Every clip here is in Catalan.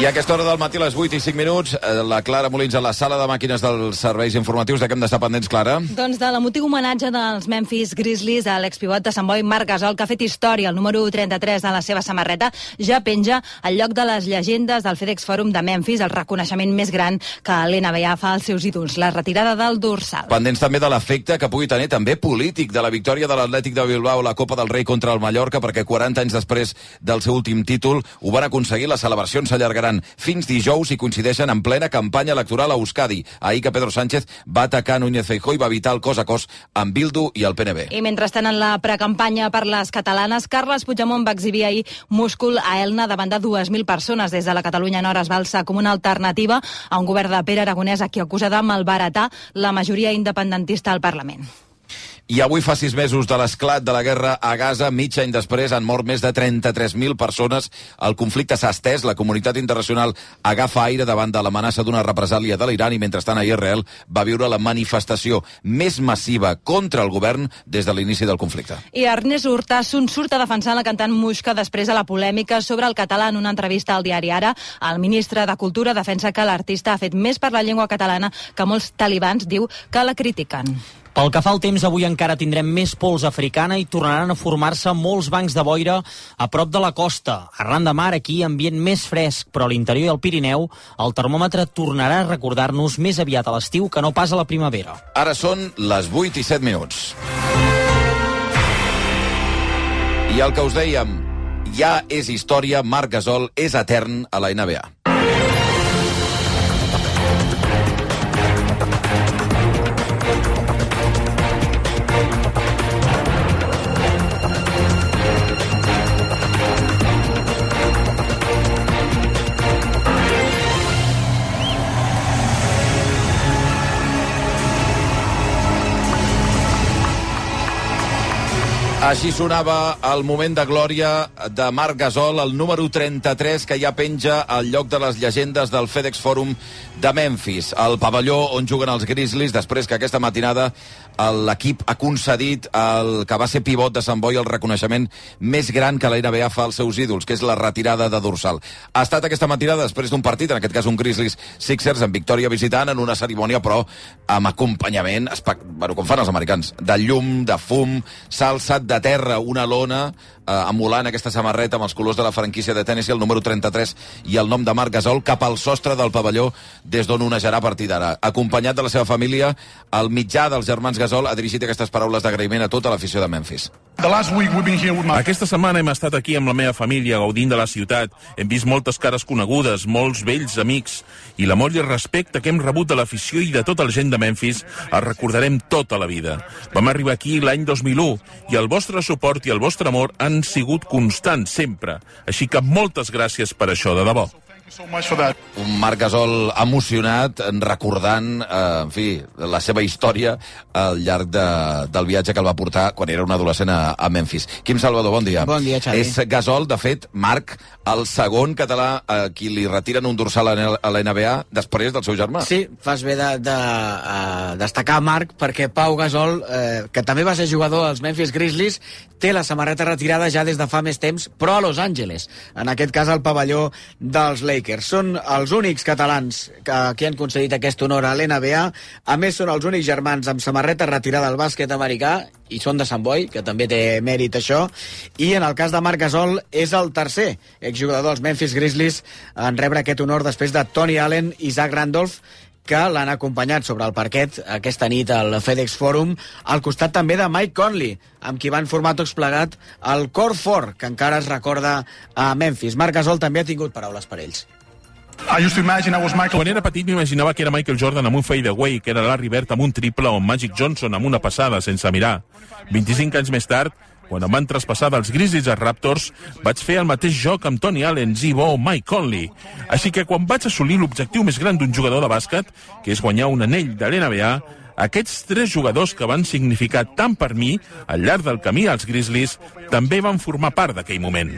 I a aquesta hora del matí, a les 8:05, la Clara Molins a la sala de màquines dels serveis informatius. De què hem d'estar pendents, Clara? Doncs de l'emotiu homenatge dels Memphis Grizzlies a l'expivot de Sant Boi, Marc Gasol, que ha fet història. El número 33 de la seva samarreta ja penja al lloc de les llegendes del FedEx Forum de Memphis, el reconeixement més gran que l'NBA fa als seus ídols, la retirada del dorsal. Pendents també de l'efecte que pugui tenir també polític de la victòria de l'Atlètic de Bilbao a la Copa del Rei contra el Mallorca, perquè 40 anys després del seu últim títol ho van aconseguir. Les celebracions s'allargaran fins dijous i coincideixen en plena campanya electoral a Euskadi. Ahir que Pedro Sánchez va atacar Núñez Feijóo i va evitar el cos a cos amb Bildu i el PNB. I mentrestant, en la precampanya per les catalanes, Carles Puigdemont va exhibir ahir múscul a Elna davant de 2.000 persones. Des de la Catalunya Nord es va alçar com una alternativa a un govern de Pere Aragonès, a qui acusa de malbaratar la majoria independentista al Parlament. I avui fa 6 mesos de l'esclat de la guerra a Gaza. Mig any després han mort més de 33.000 persones. El conflicte s'ha estès. La comunitat internacional agafa aire davant de l'amenaça d'una represàlia de l'Iran i, mentrestant, a Israel va viure la manifestació més massiva contra el govern des de l'inici del conflicte. I Ernest Urtasun surt a defensar la cantant Muixca després de la polèmica sobre el català. En una entrevista al diari Ara, el ministre de Cultura defensa que l'artista ha fet més per la llengua catalana que molts talibans, diu, que la critiquen. Pel que fa al temps, avui encara tindrem més pols africana i tornaran a formar-se molts bancs de boira a prop de la costa. Arran de mar, aquí, ambient més fresc, però a l'interior i al Pirineu el termòmetre tornarà a recordar-nos més aviat a l'estiu que no pas a la primavera. Ara són les 8:07. I el que us dèiem, ja és història, Marc Gasol és etern a la NBA. Així sonava el moment de glòria de Marc Gasol, el número 33, que ja penja al lloc de les llegendes del FedEx Forum de Memphis, el pavelló on juguen els Grizzlies, després que aquesta matinada l'equip ha concedit el que va ser pivot de Sant Boi el reconeixement més gran que la NBA fa als seus ídols, que és la retirada de dorsal. Ha estat aquesta matinada després d'un partit, en aquest cas un Grizzlies Sixers, en victòria visitant, en una cerimònia, però amb acompanyament, com fan els americans, de llum, de fum. S'ha alçat de terra una lona emulant aquesta samarreta amb els colors de la franquícia de Tennessee, el número 33 i el nom de Marc Gasol, cap al sostre del pavelló des d'on onejarà a partir d'ara. Acompanyat de la seva família, el mitjà dels germans Gasol ha dirigit aquestes paraules d'agraïment a tota l'afició de Memphis. Aquesta setmana hem estat aquí amb la meva família, gaudint de la ciutat. Hem vist moltes cares conegudes, molts vells amics, i l'amor i el respecte que hem rebut de l'afició i de tota la gent de Memphis el recordarem tota la vida. Vam arribar aquí l'any 2001 i el vostre suport i el vostre amor han sigut constants sempre. Així que moltes gràcies per això, de debò. Un Marc Gasol emocionat, recordant, en fi, la seva història al llarg del viatge que el va portar quan era un adolescent a Memphis. Quim Salvador, bon dia. Bon dia, Xavi. És Gasol, de fet, Marc, el segon català a qui li retiren un dorsal a la NBA després del seu germà. Sí, fas bé de destacar Marc, perquè Pau Gasol, que també va ser jugador als Memphis Grizzlies, té la samarreta retirada ja des de fa més temps, però a Los Angeles, en aquest cas al pavelló dels Lakers. Són els únics catalans que han concedit aquest honor a l'NBA. A més, són els únics germans amb samarreta retirada al bàsquet americà, i són de Sant Boi, que també té mèrit això. I en el cas de Marc Gasol és el tercer exjugador dels Memphis Grizzlies en rebre aquest honor després de Tony Allen i Zach Randolph, que l'han acompanyat sobre el parquet aquesta nit al FedEx Forum, al costat també de Mike Conley, amb qui van formar tots plegat el Core 4, que encara es recorda a Memphis. Marc Gasol també ha tingut paraules per ells. Quan era petit m'imaginava que era Michael Jordan amb un fadeaway, que era Larry Bird amb un triple o Magic Johnson amb una passada sense mirar. 25 anys més tard, quan em van traspassar dels Grizzlies als Raptors, vaig fer el mateix joc amb Tony Allen, Z-Bo o Mike Conley. Així que quan vaig assolir l'objectiu més gran d'un jugador de bàsquet, que és guanyar un anell de l'NBA, aquests tres jugadors que van significar tant per mi al llarg del camí als Grizzlies també van formar part d'aquell moment.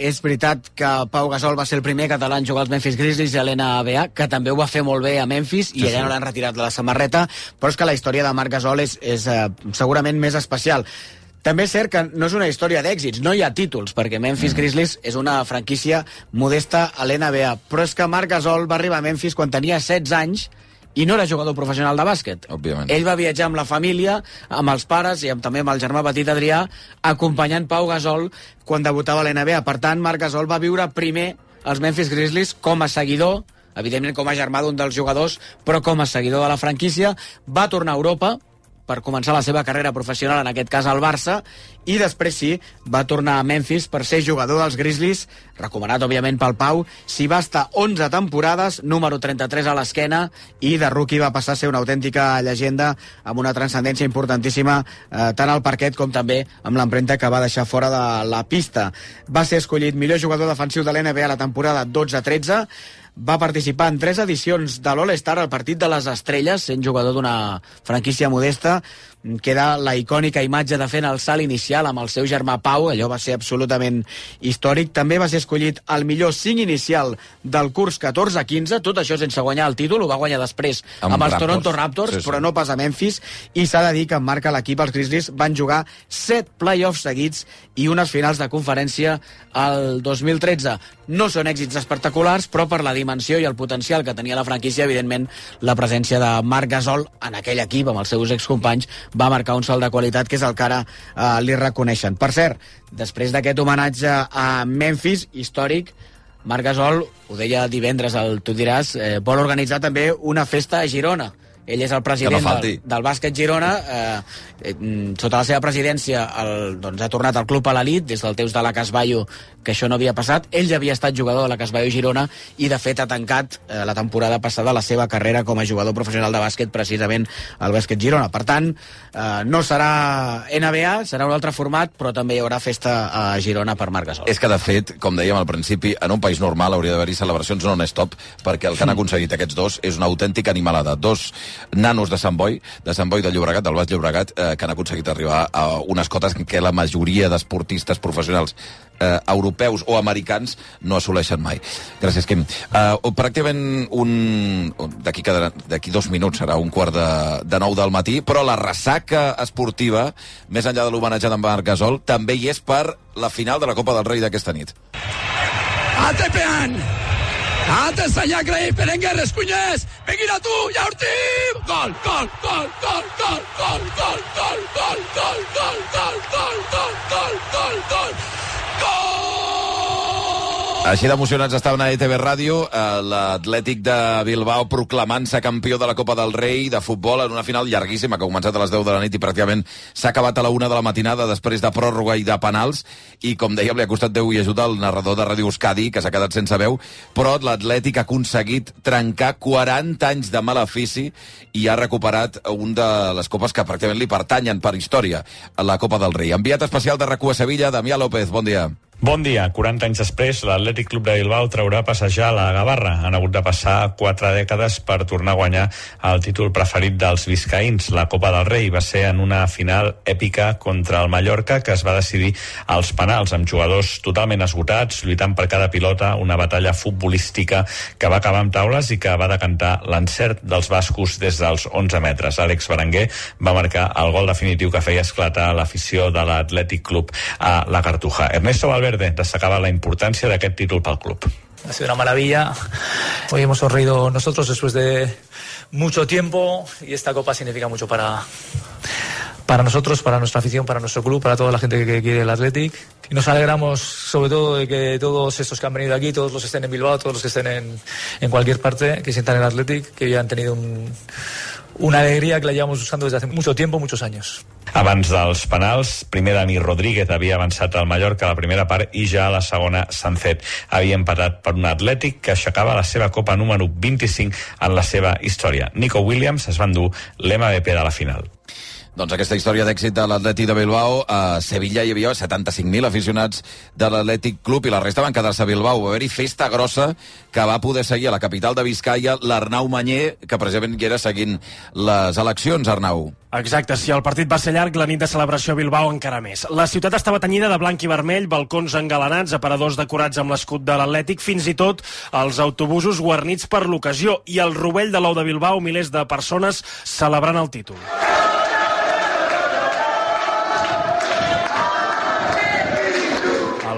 És veritat que Pau Gasol va ser el primer català en jugar als Memphis Grizzlies a l'NBA, que també ho va fer molt bé a Memphis, i allà no l'han retirat de la samarreta, però és que la història de Marc Gasol és segurament més especial. També és cert que no és una història d'èxits, no hi ha títols, perquè Memphis Grizzlies és una franquícia modesta a l'NBA, però és que Marc Gasol va arribar a Memphis quan tenia 16 anys i no era jugador professional de bàsquet. Òbviament. Ell va viatjar amb la família, amb els pares i també amb el germà petit Adrià, acompanyant Pau Gasol quan debutava a l'NBA. Per tant, Marc Gasol va viure primer els Memphis Grizzlies com a seguidor, evidentment com a germà d'un dels jugadors, però com a seguidor de la franquícia. Va tornar a Europa per començar la seva carrera professional, en aquest cas al Barça, i després sí, va tornar a Memphis per ser jugador dels Grizzlies, recomanat òbviament pel Pau. S'hi va estar 11 temporades, número 33 a l'esquena, i de rookie va passar a ser una autèntica llegenda amb una transcendència importantíssima tant al parquet com també amb l'empremta que va deixar fora de la pista. Va ser escollit millor jugador defensiu de l'NBA la temporada 12-13, va participar en 3 edicions de l'All-Star, al partit de les estrelles, sent jugador d'una franquícia modesta. Queda la icònica imatge de fent el salt inicial amb el seu germà Pau, allò va ser absolutament històric. També va ser escollit el millor 5 inicial del curs 14-15, tot això sense guanyar el títol, ho va guanyar després amb els Toronto Raptors, sí. Però no pas a Memphis, i s'ha de dir que en marca l'equip, els Grizzlies van jugar 7 playoffs seguits i unes finals de conferència el 2013. No són èxits espectaculars, però per la dimensió i el potencial que tenia la franquícia, evidentment, la presència de Marc Gasol en aquell equip, amb els seus excompanys, va marcar un salt de qualitat que és el que ara li reconeixen. Per cert, després d'aquest homenatge a Memphis, històric, Marc Gasol, ho deia divendres al Tu diràs, vol organitzar també una festa a Girona. Ell és el president del bàsquet Girona. Sota la seva presidència ha tornat al club a l'elit des del temps de la Casballo, que això no havia passat. Ell ja havia estat jugador de la Casballo Girona i de fet ha tancat la temporada passada la seva carrera com a jugador professional de bàsquet precisament al bàsquet Girona. Per tant, no serà NBA, serà un altre format, però també hi haurà festa a Girona per Marc Gasol. És que de fet, com dèiem al principi, en un país normal hauria d'haver-hi celebracions non-stop, perquè el que han aconseguit aquests dos és una autèntica animalada. Dos nanos de Sant Boi de Llobregat, del Baix Llobregat, que han aconseguit arribar a unes cotes que la majoria d'esportistes professionals europeus o americans no assoleixen mai. Gràcies, Quim. Pràcticament d'aquí 2 minuts serà 8:45 del matí, però la ressaca esportiva, més enllà de l'homenatge d'en Marc Gasol, també hi és per la final de la Copa del Rei d'aquesta nit. Atepean! Atenção, ja Grey, Berenguer, Escuñés, Beguina tu, Yaurtim, gol, gol, gol, gol, gol, gol, gol, gol, gol, gol, gol, gol, gol, gol, gol, gol, gol, gol! Així d'emocionats estaven a ETV Ràdio, l'Atlètic de Bilbao proclamant-se campió de la Copa del Rei de futbol en una final llarguíssima que ha començat a les 10 de la nit i pràcticament s'ha acabat a la 1 de la matinada després de pròrroga i de penals, i com dèiem li ha costat Déu i ajuda al narrador de Ràdio Euskadi, que s'ha quedat sense veu, però l'Atlètic ha aconseguit trencar 40 anys de malefici i ha recuperat un de les copes que pràcticament li pertanyen per història, la Copa del Rei. Enviat especial de RAC1 a Sevilla, Damià López, bon dia. Bon dia. 40 anys després, l'Atlètic Club de Bilbao traurà a passejar la Gavarra. Han hagut de passar 4 dècades per tornar a guanyar el títol preferit dels biscaïns. La Copa del Rei va ser en una final èpica contra el Mallorca que es va decidir als penals, amb jugadors totalment esgotats, lluitant per cada pilota, una batalla futbolística que va acabar amb taules i que va decantar l'encert dels bascos des dels 11 metres. Àlex Berenguer va marcar el gol definitiu que feia esclatar l'afició de l'Atlètic Club a la Cartuja. Ernesto Valverde destacaba la importancia de aquest títol pel club. Ha sido una maravilla. Hoy hemos sonreído nosotros después de mucho tiempo y esta copa significa mucho para nosotros, para nuestra afición, para nuestro club, para toda la gente que quiere el Athletic. Y nos alegramos sobre todo de que todos estos que han venido aquí, todos los que estén en Bilbao, todos los que estén en cualquier parte, que sientan el Athletic, que ya han tenido una alegría que la llevamos usando desde hace mucho tiempo, muchos años. Abans dels penals, primer Dani Rodríguez havia avançat al Mallorca a la primera part i ja a la segona Sancet havia empatat per un Atlètic que aixecava la seva copa número 25 en la seva història. Nico Williams es va endur l'MVP de la final. Doncs aquesta història d'èxit de l'Atlètic de Bilbao. A Sevilla hi havia 75.000 aficionats de l'Atlètic Club i la resta van quedar-se a Bilbao. Va haver-hi festa grossa que va poder seguir a la capital de Biscaia l'Arnau Manyer, que precisament hi era seguint les eleccions, Arnau. Exacte, si el partit va ser llarg, la nit de celebració a Bilbao encara més. La ciutat estava tenyida de blanc i vermell, balcons engalanats, aparadors decorats amb l'escut de l'Atlètic, fins i tot els autobusos guarnits per l'ocasió, i al rovell de l'ou de Bilbao, milers de persones celebrant el títol.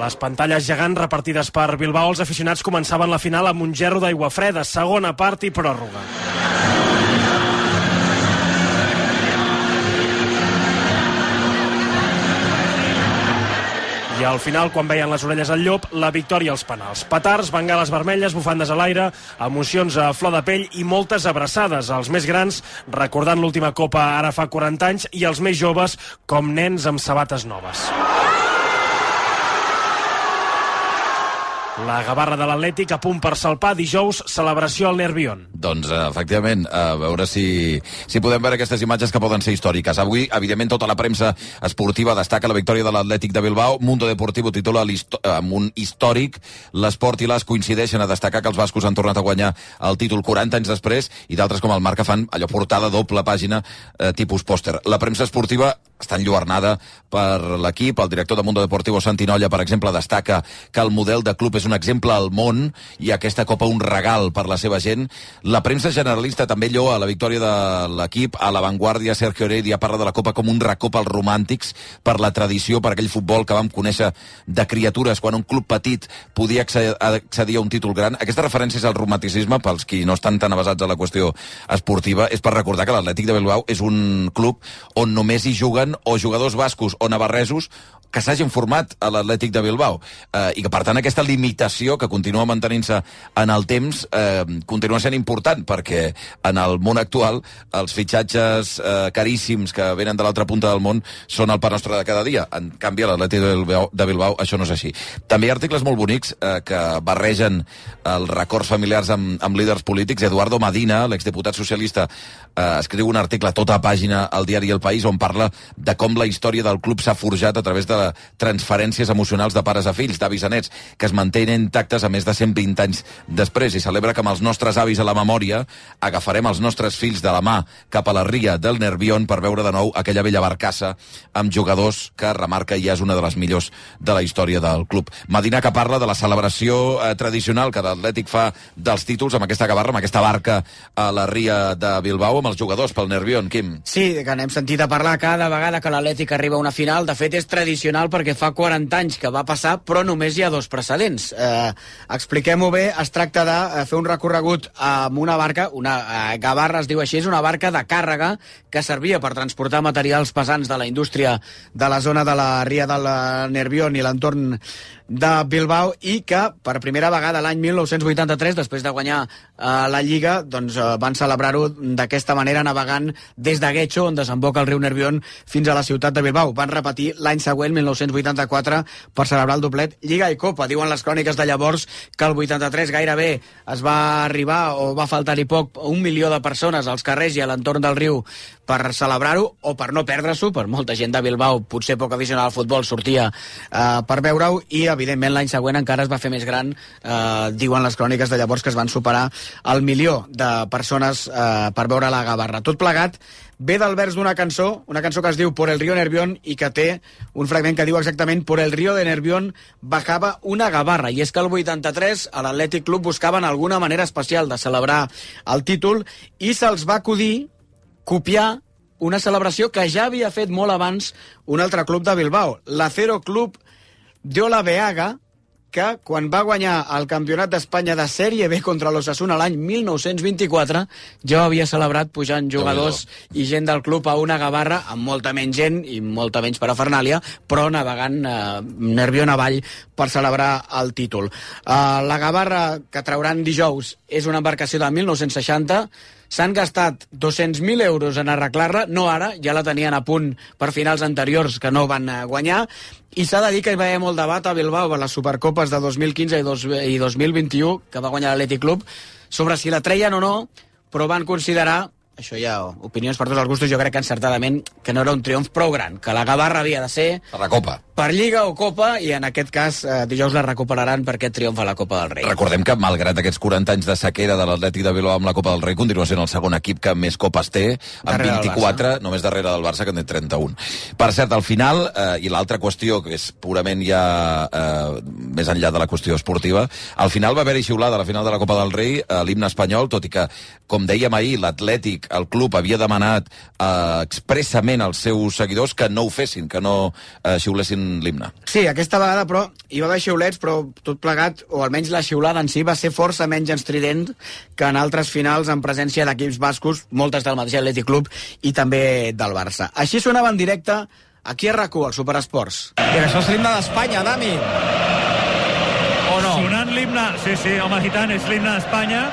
les pantalles gegants repartides per Bilbao, els aficionats començaven la final amb un gerro d'aigua freda, segona part i pròrroga. I al final, quan veien les orelles al llop, la victòria als penals. Petards, bengales vermelles, bufandes a l'aire, emocions a flor de pell i moltes abraçades. Els més grans recordant l'última copa ara fa 40 anys i els més joves com nens amb sabates noves. La gavarra de l'Atlètic a punt per salpar dijous, celebració al Nervión. Doncs, efectivament, a veure si podem veure aquestes imatges que poden ser històriques. Avui, evidentment, tota la premsa esportiva destaca la victòria de l'Atlètic de Bilbao. Mundo Deportivo titula amb un històric. L'Esport i l'As coincideixen a destacar que els bascos han tornat a guanyar el títol 40 anys després, i d'altres com el Marca fan allò portada doble pàgina tipus pòster. La premsa esportiva està enlluernada per l'equip. El director de Mundo Deportivo, Santi Nolla, per exemple, destaca que el model de club és un exemple al món i aquesta copa un regal per la seva gent. La premsa generalista també lloa la victòria de l'equip. A l'avantguàrdia, Sergio Heredia parla de la copa com un recop als romàntics per la tradició, per aquell futbol que vam conèixer de criatures quan un club petit podia accedir a un títol gran. Aquesta referència és al romanticisme, pels qui no estan tan avasats a la qüestió esportiva, és per recordar que l'Atlètic de Bilbao és un club on només hi juguen o jugadors bascos o navarresos que s'hagin format a l'Atlètic de Bilbao, i que, per tant, aquesta limitació que continua mantenint-se en el temps continua sent important, perquè en el món actual els fitxatges caríssims que venen de l'altra punta del món són el pa nostre de cada dia. En canvi, a l'Atlètic de Bilbao això no és així. També hi ha articles molt bonics que barregen els records familiars amb líders polítics. Eduardo Madina, l'exdiputat socialista, escriu un article a tota pàgina al diari El País on parla de com la història del club s'ha forjat a través de transferències emocionals de pares a fills, d'avis a nets, que es mantenen intactes a més de 120 anys després, i celebra que amb els nostres avis a la memòria agafarem els nostres fills de la mà cap a la ria del Nervión per veure de nou aquella vella barcassa amb jugadors que remarca i és una de les millors de la història del club. Madina, que parla de la celebració tradicional que l'Atlètic fa dels títols amb aquesta gavarra, amb aquesta barca a la ria de Bilbao amb els jugadors pel Nervión. Quim? Sí, que n'hem sentit a parlar cada vegada que l'Atlètic arriba a una final. De fet, és tradicional perquè fa 40 anys que va passar, però només hi ha dos precedents. Expliquem-ho bé, es tracta de fer un recorregut amb una barca, una gavarra es diu així, és una barca de càrrega que servia per transportar materials pesants de la indústria de la zona de la ria del Nervión i l'entorn de Bilbao, i que per primera vegada l'any 1983, després de guanyar la Lliga, doncs van celebrar-ho d'aquesta manera, navegant des de Guecho, on desemboca el riu Nervión, fins a la ciutat de Bilbao. Van repetir l'any següent, 1984, per celebrar el doblet Lliga i Copa. Diuen les cròniques de llavors que el 83 gairebé es va arribar, o va faltar-hi poc, 1 milió de persones als carrers i a l'entorn del riu per celebrar-ho, o per no perdre-s'ho, per molta gent de Bilbao, potser poc aficionada al futbol, sortia per veure-ho, i evidentment l'any següent encara es va fer més gran. Diuen les cròniques de llavors que es van superar el milió de persones per veure la gavarra. Tot plegat ve del vers d'una cançó que es diu Por el río Nervión, i que té un fragment que diu exactament: Por el río de Nervión bajaba una gavarra. I és que el 83 a l'Atlètic Club buscaven alguna manera especial de celebrar el títol, i se'ls va acudir copiar una celebració que ja havia fet molt abans un altre club de Bilbao, l'Acero Club de Olaveaga, que quan va guanyar el campionat d'Espanya de Sèrie B contra l'Osasuna l'any 1924 ja ho havia celebrat pujant jugadors i gent del club a una gavarra amb molta menys gent i molta menys parafernàlia, però navegant Nervión avall per celebrar el títol. La gavarra que trauran dijous és una embarcació de 1960. S'han gastat 200.000 euros en arreglar-la, no ara, ja la tenien a punt per finals anteriors que no van guanyar, i s'ha de dir que hi va haver molt debat a Bilbao per les Supercopes de 2015 i 2021 que va guanyar l'Atlètic Club sobre si la treien o no, però van considerar, això ja opinions per tots els gustos, jo crec que encertadament, que no era un triomf prou gran, que la gavarra havia de ser per la Copa, per Lliga o Copa, i en aquest cas dijous la recuperaran per aquest triomf a la Copa del Rei. Recordem que, malgrat aquests 40 anys de sequera de l'Atlètic de Bilbao amb la Copa del Rei, continua sent el segon equip que més copes té, amb 24, només darrere del Barça, que en té 31. Per cert, al final, i l'altra qüestió, que és purament ja més enllà de la qüestió esportiva, al final va haver-hi xiulada a la final de la Copa del Rei l'himne espanyol, tot i que, com dèiem ahir, l'Atlètic, el club, havia demanat expressament als seus seguidors que no ho fessin, que no xiulessin cantant l'himne. Sí, aquesta vegada, però, hi va haver xiulets, però tot plegat, o almenys la xiulada en si, va ser força menys estrident que en altres finals en presència d'equips bascos, moltes del mateix Atlètic Club i també del Barça. Així sonava en directe aquí a RAC1, al Superesports. I això és l'himne d'Espanya, Dami. O no? Sonant l'himne, sí, home, i tant, és l'himne d'Espanya,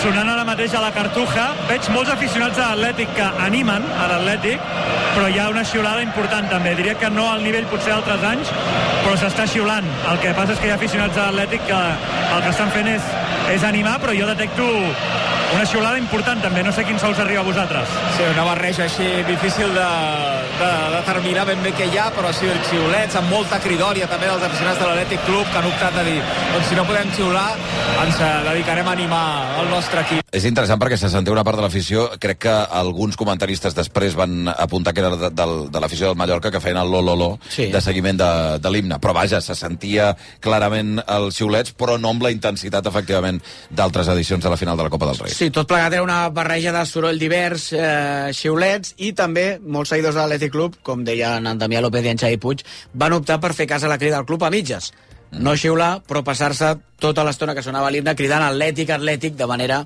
sonant ara mateix a la Cartuja. Veig molts aficionats de l'Atlètic que animen a l'Atlètic, però hi ha una xiulada important també. Diria que no al nivell potser d'altres anys, però s'està xiulant. El que passa és que hi ha aficionats de l'Atlètic que el que estan fent és animar, però jo detecto una xiulada important també. No sé quin so us arriba a vosaltres. Sí, una barreja així difícil de determinar ben bé què hi ha, però sí, els xiulets amb molta cridòria també dels aficionats de l'Atlètic Club, que han optat de dir, doncs si no podem xiular, ens dedicarem a animar el nostre equip. És interessant perquè se sentia una part de l'afició, crec que alguns comentaristes després van apuntar que era de l'afició del Mallorca, que feien el lo sí, de seguiment de l'himne, però vaja, se sentia clarament els xiulets, però no amb la intensitat efectivament d'altres edicions de la final de la Copa del Rei. Sí, tot plegat era una barreja de soroll divers, xiulets, i també molts seguidors de l'Atlètic Club, com deien en Damià López i en Xavi Puig, van optar per fer cas a la crida del club a mitges. No xiular, però passar-se tota l'estona que sonava l'himne cridant Atlètic, Atlètic, de manera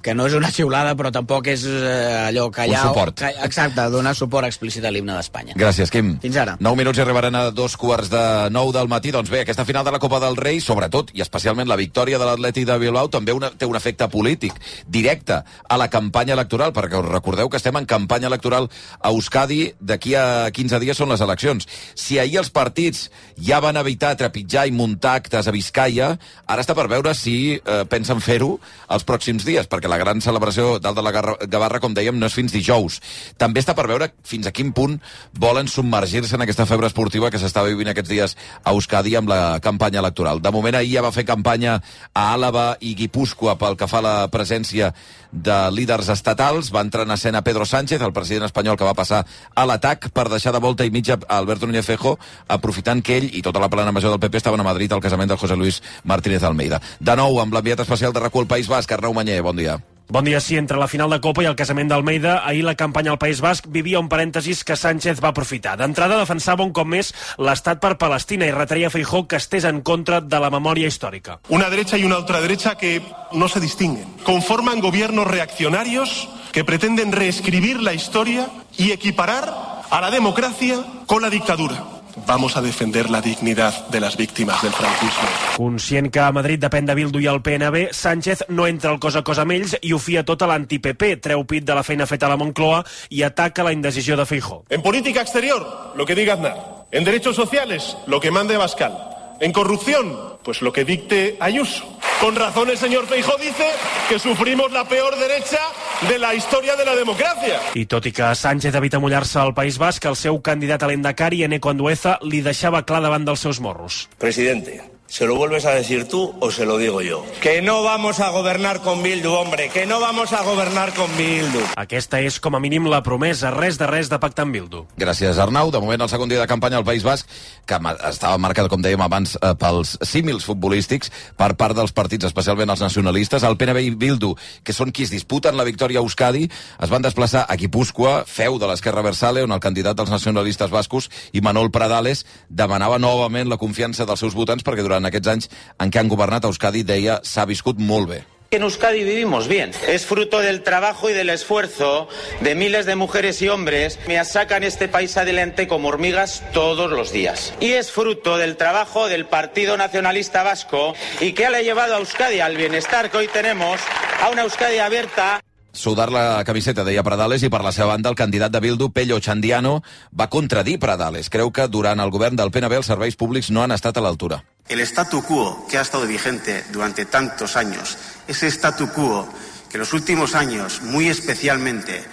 que no és una xiulada, però tampoc és allò callar... Un suport. Exacte, donar suport explícit a l'himne d'Espanya. Gràcies, Quim. Fins ara. 9 minuts i arribaran a 2:45 del matí. Doncs bé, aquesta final de la Copa del Rei, sobretot, i especialment la victòria de l'Atlètic de Bilbao, també té un efecte polític directe a la campanya electoral, perquè us recordeu que estem en campanya electoral a Euskadi, d'aquí a 15 dies són les eleccions. Si ahir els partits ja van evitar trepitjar i muntar actes a Vizcaya, ara està per veure si pensen fer-ho els pròxims dies, perquè la gran celebració dalt de la Gavarra, com dèiem, no és fins dijous. També està per veure fins a quin punt volen submergir-se en aquesta febre esportiva que s'està vivint aquests dies a Euskadi amb la campanya electoral. De moment, ahir ja va fer campanya a Àlaba i Guipúscoa pel que fa a la presència de líders estatals. Va entrar en escena Pedro Sánchez, el president espanyol que va passar a l'atac per deixar de volta i mitja a Alberto Núñez Feijóo, aprofitant que ell i tota la plana major del PP estaven a Madrid al casament del José Luis Martínez Almeida. De nou, amb l'enviat especial de RAC1 al País Basc, Arnau Manyer, bon dia. Bon dia, sí, entre la final de Copa i el casament d'Almeida, ahir la campanya al País Basc vivia un parèntesis que Sánchez va aprofitar. D'entrada defensava un cop més l'estat per Palestina i retreia a Feijóo que estés en contra de la memòria històrica. Una derecha y una ultraderecha que no se distinguen. Conforman gobiernos reaccionarios que pretenden reescribir la historia y equiparar a la democracia con la dictadura. Vamos a defender la dignidad de las víctimas del franquismo. Conscient que a Madrid depèn de Bildu i el PNB, Sánchez no entra al cos a cos amb ells i ho fia tot a l'anti-PP, treu pit de la feina feta a la Moncloa i ataca la indecisió de Feijóo. En política exterior, lo que diga Aznar. En derechos sociales, lo que mande Abascal. En corrupción, pues lo que dicte Ayuso. Con razón el señor Feijóo dice que sufrimos la peor derecha de la història de la democràcia. I tot i que Sánchez evita mullar-se al País Basc, el seu candidat a l'Endacari, Eneko Andueza, li deixava clar davant dels seus morros. Presidente, ¿se lo vuelves a decir tú o se lo digo yo? Que no vamos a gobernar con Bildu, hombre, que no vamos a gobernar con Bildu. Aquesta és, com a mínim, la promesa, res de pactar amb Bildu. Gràcies, Arnau. De moment, el segon dia de campanya al País Basc, que estava marcat, com dèiem abans, pels símils futbolístics per part dels partits, especialment els nacionalistes. El PNB i Bildu, que són qui es disputen la victòria a Euskadi, es van desplaçar a Guipúscoa, feu de l'Esquerra Abertzale, on el candidat dels nacionalistes bascos, Imanol Pradales, demanava novament la confiança dels seus votants perquè durant aquests anys en què han governat a Euskadi, deia, s'ha viscut molt bé. En Euskadi vivimos bien. Es fruto del trabajo y del esfuerzo de miles de mujeres y hombres que sacan este país adelante como hormigas todos los días. Y es fruto del trabajo del Partido Nacionalista Vasco y que le ha llevado a Euskadi al bienestar que hoy tenemos, a una Euskadi abierta. Sudar la camiseta, deia Pradales, i per la seva banda el candidat de Bildu, Pello Chandiano, va contradir Pradales. Creu que durant el govern del PNB els serveis públics no han estat a l'altura. El statu quo que ha estado vigente durante tantos años, ese statu quo que en los últimos años, muy especialmente,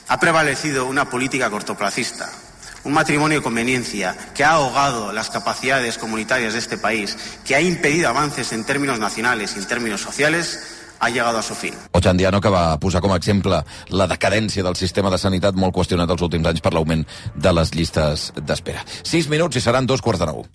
ha prevalecido una política cortoplacista, un matrimonio de conveniencia que ha ahogado las capacidades comunitarias de este país, que ha impedido avances en términos nacionales y en términos sociales, ha llegado a su fin. Ochandiano, que va posar com a exemple la decadència del sistema de sanitat molt qüestionat els últims anys per l'augment de les llistes d'espera. 6 minuts i seran 8:45.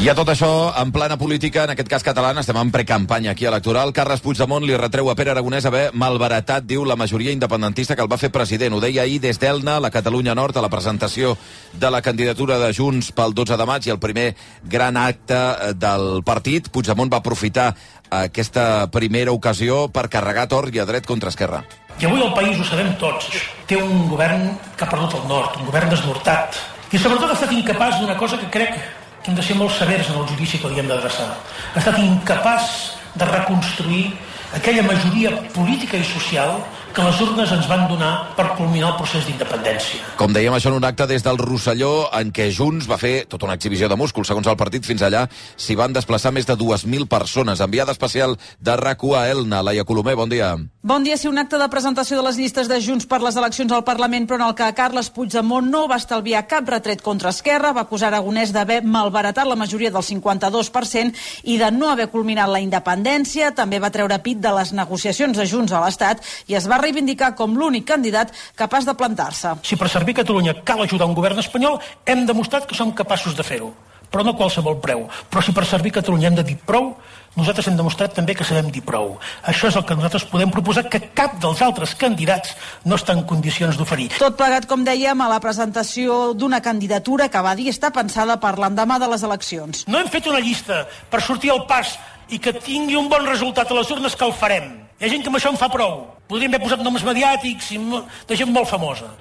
I a tot això, en plana política, en aquest cas catalana, estem en precampanya aquí electoral. Carles Puigdemont li retreu a Pere Aragonès haver malbaratat, diu, la majoria independentista que el va fer president. Ho deia ahir des d'Elna, la Catalunya Nord, a la presentació de la candidatura de Junts pel 12 de maig i el primer gran acte del partit. Puigdemont va aprofitar aquesta primera ocasió per carregar tort i a dret contra Esquerra. I avui el país, ho sabem tots, té un govern que ha perdut el nord, un govern desnortat, i sobretot ha estat incapaç d'una cosa que crec que hem de ser molt severs en el judici que li hem d'adreçar. Ha estat incapaç de reconstruir aquella majoria política i social que les urnes ens van donar per culminar el procés d'independència. Com dèiem, això en un acte des del Rosselló, en què Junts va fer tota una exhibició de músculs. Segons el partit, fins allà s'hi van desplaçar més de 2.000 persones. Enviada especial de RAC1 a Elna. Laia Colomer, bon dia. Bon dia. Sí, un acte de presentació de les llistes de Junts per les eleccions al Parlament, però en el que Carles Puigdemont no va estalviar cap retret contra Esquerra, va acusar Aragonès d'haver malbaratat la majoria del 52% i de no haver culminat la independència. També va treure pit de les negociacions de Junts a l'Estat i es va reivindicar com l'únic candidat capaç de plantar-se. Si per servir Catalunya cal ajudar un govern espanyol, hem demostrat que som capaços de fer-ho, però no a qualsevol preu. Però si per servir Catalunya hem de dir prou, nosaltres hem demostrat també que sabem dir prou. Això és el que nosaltres podem proposar, que cap dels altres candidats no està en condicions d'oferir. Tot plegat, com dèiem, a la presentació d'una candidatura que va dir està pensada per l'endemà de les eleccions. No hem fet una llista per sortir al pas i que tingui un bon resultat a les urnes, que el farem. Hi ha gent que amb això en fa prou. Podríem haver posat noms mediàtics i de gent molt famosa.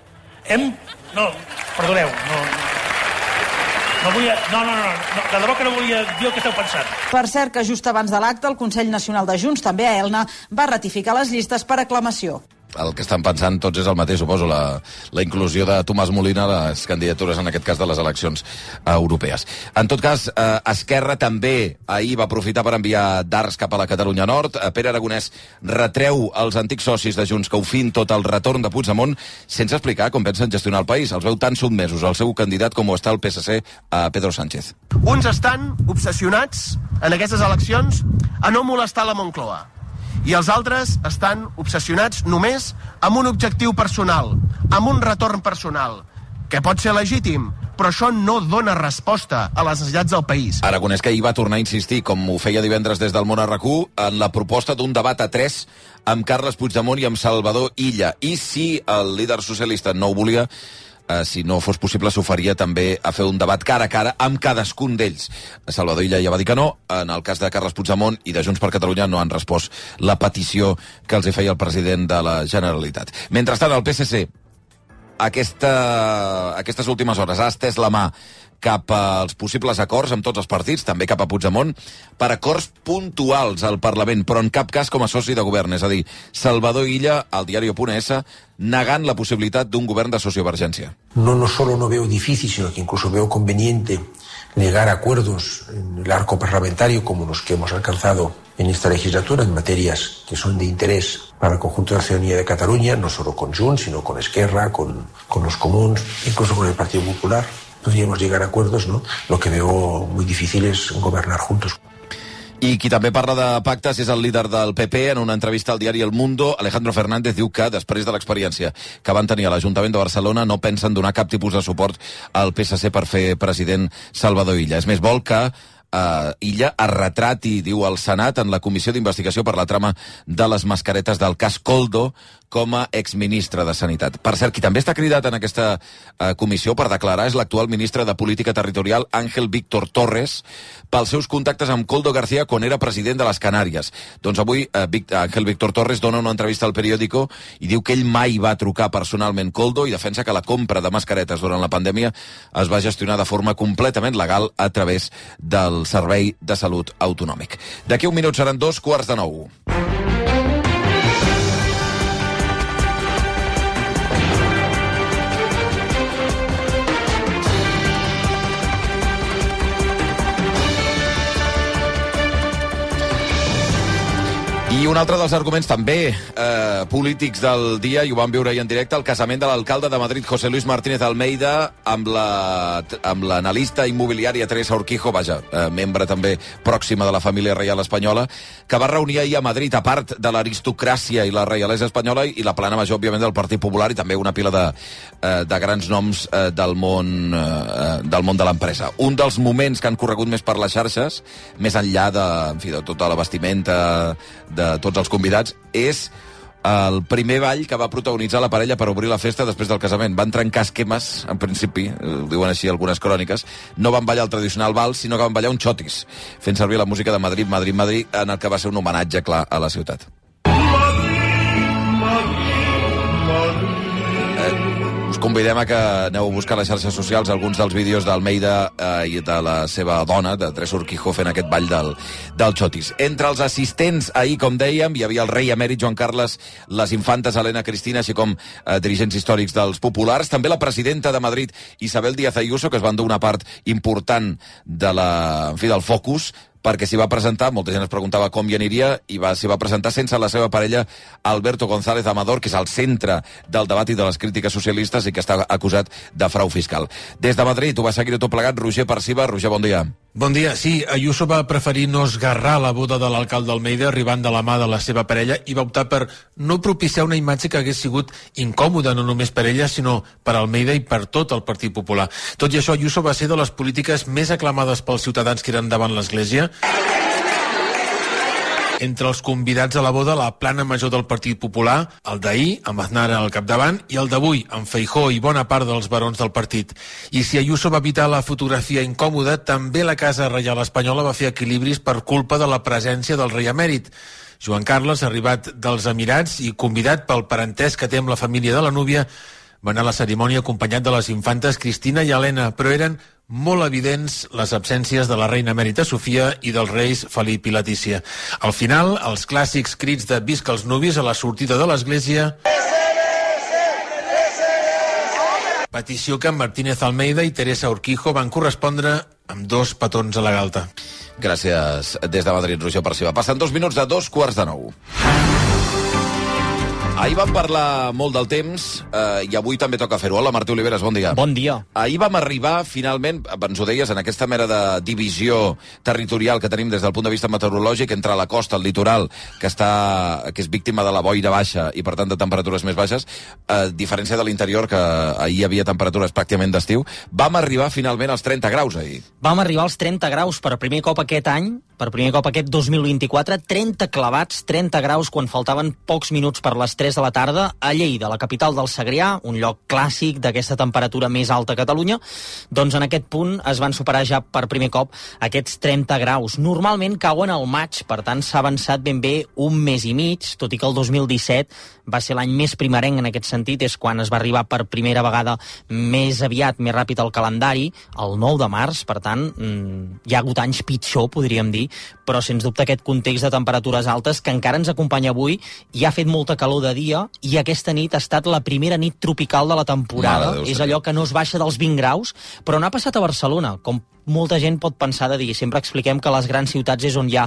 No, perdoneu, de debò que no volia dir el que esteu pensant. Per cert, que just abans de l'acte, el Consell Nacional de Junts, també a Elna, va ratificar les llistes per aclamació. El que estan pensant tots és el mateix, suposo, la inclusió de Tomàs Molina a les candidatures, en aquest cas, de les eleccions europees. En tot cas, Esquerra també ahir va aprofitar per enviar dards cap a la Catalunya Nord. Pere Aragonès retreu als antics socis de Junts que ho fin tot el retorn de Puigdemont sense explicar com pensen gestionar el país. Els veu tan sotmesos al seu candidat com ho està el PSC a Pedro Sánchez. Uns estan obsessionats en aquestes eleccions a no molestar la Moncloa. I els altres estan obsessionats només amb un objectiu personal, amb un retorn personal, que pot ser legítim, però això no dona resposta a les necessitats del país. Aragonès, que ahir va tornar a insistir, com ho feia divendres des del Món a RAC1, en la proposta d'un debat a 3 amb Carles Puigdemont i amb Salvador Illa. I si el líder socialista no ho volia, si no fos possible, s'oferia també a fer un debat cara a cara amb cadascun d'ells. Salvador Illa ja va dir que no. En el cas de Carles Puigdemont i de Junts per Catalunya no han respost la petició que els feia el president de la Generalitat. Mentrestant, el PSC aquestes últimes hores ha estès la mà cap als possibles acords amb tots els partits, també cap a Puigdemont, per acords puntuals al Parlament, però en cap cas com a soci de govern. És a dir, Salvador Illa, al diario.es, negant la possibilitat d'un govern de sociovergència. No solo no veo difícil, sino que incluso veo conveniente llegar a acuerdos en el arco parlamentario como los que hemos alcanzado en esta legislatura en materias que son de interés para el conjunto de la ciudadanía de Cataluña, no solo con Junts, sino con Esquerra, con los comuns, incluso con el Partido Popular. Podríamos llegar a acuerdos, ¿no? Lo que veo muy difícil es gobernar juntos. I qui també parla de pactes és el líder del PP. En una entrevista al diari El Mundo, Alejandro Fernández diu que, després de l'experiència que van tenir a l'Ajuntament de Barcelona, no pensen donar cap tipus de suport al PSC per fer president Salvador Illa. És més, vol que Illa es retrati, diu, al Senat en la comissió d'investigació per la trama de les mascaretes del cas Koldo com a exministre de Sanitat. Per cert, qui també està cridat en aquesta comissió per declarar és l'actual ministre de Política Territorial, Ángel Víctor Torres, pels seus contactes amb Koldo García quan era president de les Canàries. Doncs avui Ángel Víctor Torres dona una entrevista al Periódico i diu que ell mai va trucar personalment Koldo i defensa que la compra de mascaretes durant la pandèmia es va gestionar de forma completament legal a través del Servei de Salut Autonòmic. D'aquí un minut seran 8:45. I un altre dels arguments també polítics del dia, i ho vam viure ahir en directe, el casament de l'alcalde de Madrid, José Luis Martínez Almeida, amb l'analista immobiliària Teresa Urquijo, membre també pròxima de la família reial espanyola, que va reunir ahir a Madrid, a part de l'aristocràcia i la reialesa espanyola, i la plana major, òbviament, del Partit Popular, i també una pila de grans noms del món de l'empresa. Un dels moments que han corregut més per les xarxes, més enllà de tota la vestimenta de tots els convidats, és el primer ball que va protagonitzar la parella per obrir la festa després del casament. Van trencar esquemes, en principi, ho diuen així algunes cròniques, no van ballar el tradicional vals, sinó que van ballar un xotis, fent servir la música de Madrid, Madrid, Madrid, en el que va ser un homenatge, clar, a la ciutat. Us convidem a que aneu a buscar a les xarxes socials alguns dels vídeos d'Almeida i de la seva dona, de Teresa Urquijo, fent aquest ball del xotis. Entre els assistents ahir, com dèiem, hi havia el rei emèrit Joan Carles, les infantes Helena Cristina, així com dirigents històrics dels populars, també la presidenta de Madrid, Isabel Díaz Ayuso, que es va endur una part important del focus, perquè s'hi va presentar, molta gent es preguntava com hi aniria, i s'hi va presentar sense la seva parella Alberto González Amador, que és al centre del debat i de les crítiques socialistes i que està acusat de frau fiscal. Des de Madrid ho va seguir tot plegat Roger Parciba. Roger, bon dia. Bon dia. Sí, Ayuso va preferir no esgarrar la boda de l'alcalde Almeida arribant de la mà de la seva parella i va optar per no propiciar una imatge que hagués sigut incòmoda no només per ella, sinó per Almeida i per tot el Partit Popular. Tot i això, Ayuso va ser de les polítiques més aclamades pels ciutadans que eren davant l'Església. Entre els convidats a la boda, la plana major del Partit Popular, el d'ahir, amb Aznar al capdavant, i el d'avui, amb Feijóo i bona part dels barons del partit. I si Ayuso va evitar la fotografia incòmoda, també la Casa Reial Espanyola va fer equilibris per culpa de la presència del rei emèrit. Joan Carles, arribat dels Emirats i convidat pel parentesc que té amb la família de la núvia, va anar a la cerimònia acompanyat de les infantes Cristina i Helena, però eren molt evidents les absències de la reina emèrita Sofia i dels reis Felip i Letícia. Al final, els clàssics crits de visca els nuvis a la sortida de l'església, petició que Martínez Almeida i Teresa Urquijo van correspondre amb 2 petons a la galta. Gràcies des de Madrid, Roger Parciba. Passen 2 minuts de 2:45. Ahir vam parlar molt del temps i avui també toca fer-ho. Hola, Martí Oliveres, bon dia. Bon dia. Ahir vam arribar, finalment, ens ho deies, en aquesta mera de divisió territorial que tenim des del punt de vista meteorològic entre la costa, el litoral, que és víctima de la boira baixa i, per tant, de temperatures més baixes, a diferència de l'interior, que ahir hi havia temperatures pràcticament d'estiu. Vam arribar, finalment, als 30 graus ahir. Vam arribar als 30 graus per primer cop aquest any, per primer cop aquest 2024, 30 clavats, 30 graus, quan faltaven pocs minuts per les 3 de la tarda, a Lleida, la capital del Segrià, un lloc clàssic d'aquesta temperatura més alta a Catalunya. Doncs en aquest punt es van superar ja per primer cop aquests 30 graus. Normalment cauen al maig, per tant s'ha avançat ben bé un mes i mig, tot i que el 2017 va ser l'any més primerenc en aquest sentit, és quan es va arribar per primera vegada més aviat, més ràpid al calendari, el 9 de març, per tant, hi ha hagut anys pitjor, podríem dir, però sens dubte aquest context de temperatures altes que encara ens acompanya avui, i ha fet molta calor de dia, i aquesta nit ha estat la primera nit tropical de la temporada. És allò que no es baixa dels 20 graus, però no ha passat a Barcelona, com molta gent pot pensar de dir. Sempre expliquem que a les grans ciutats és on hi ha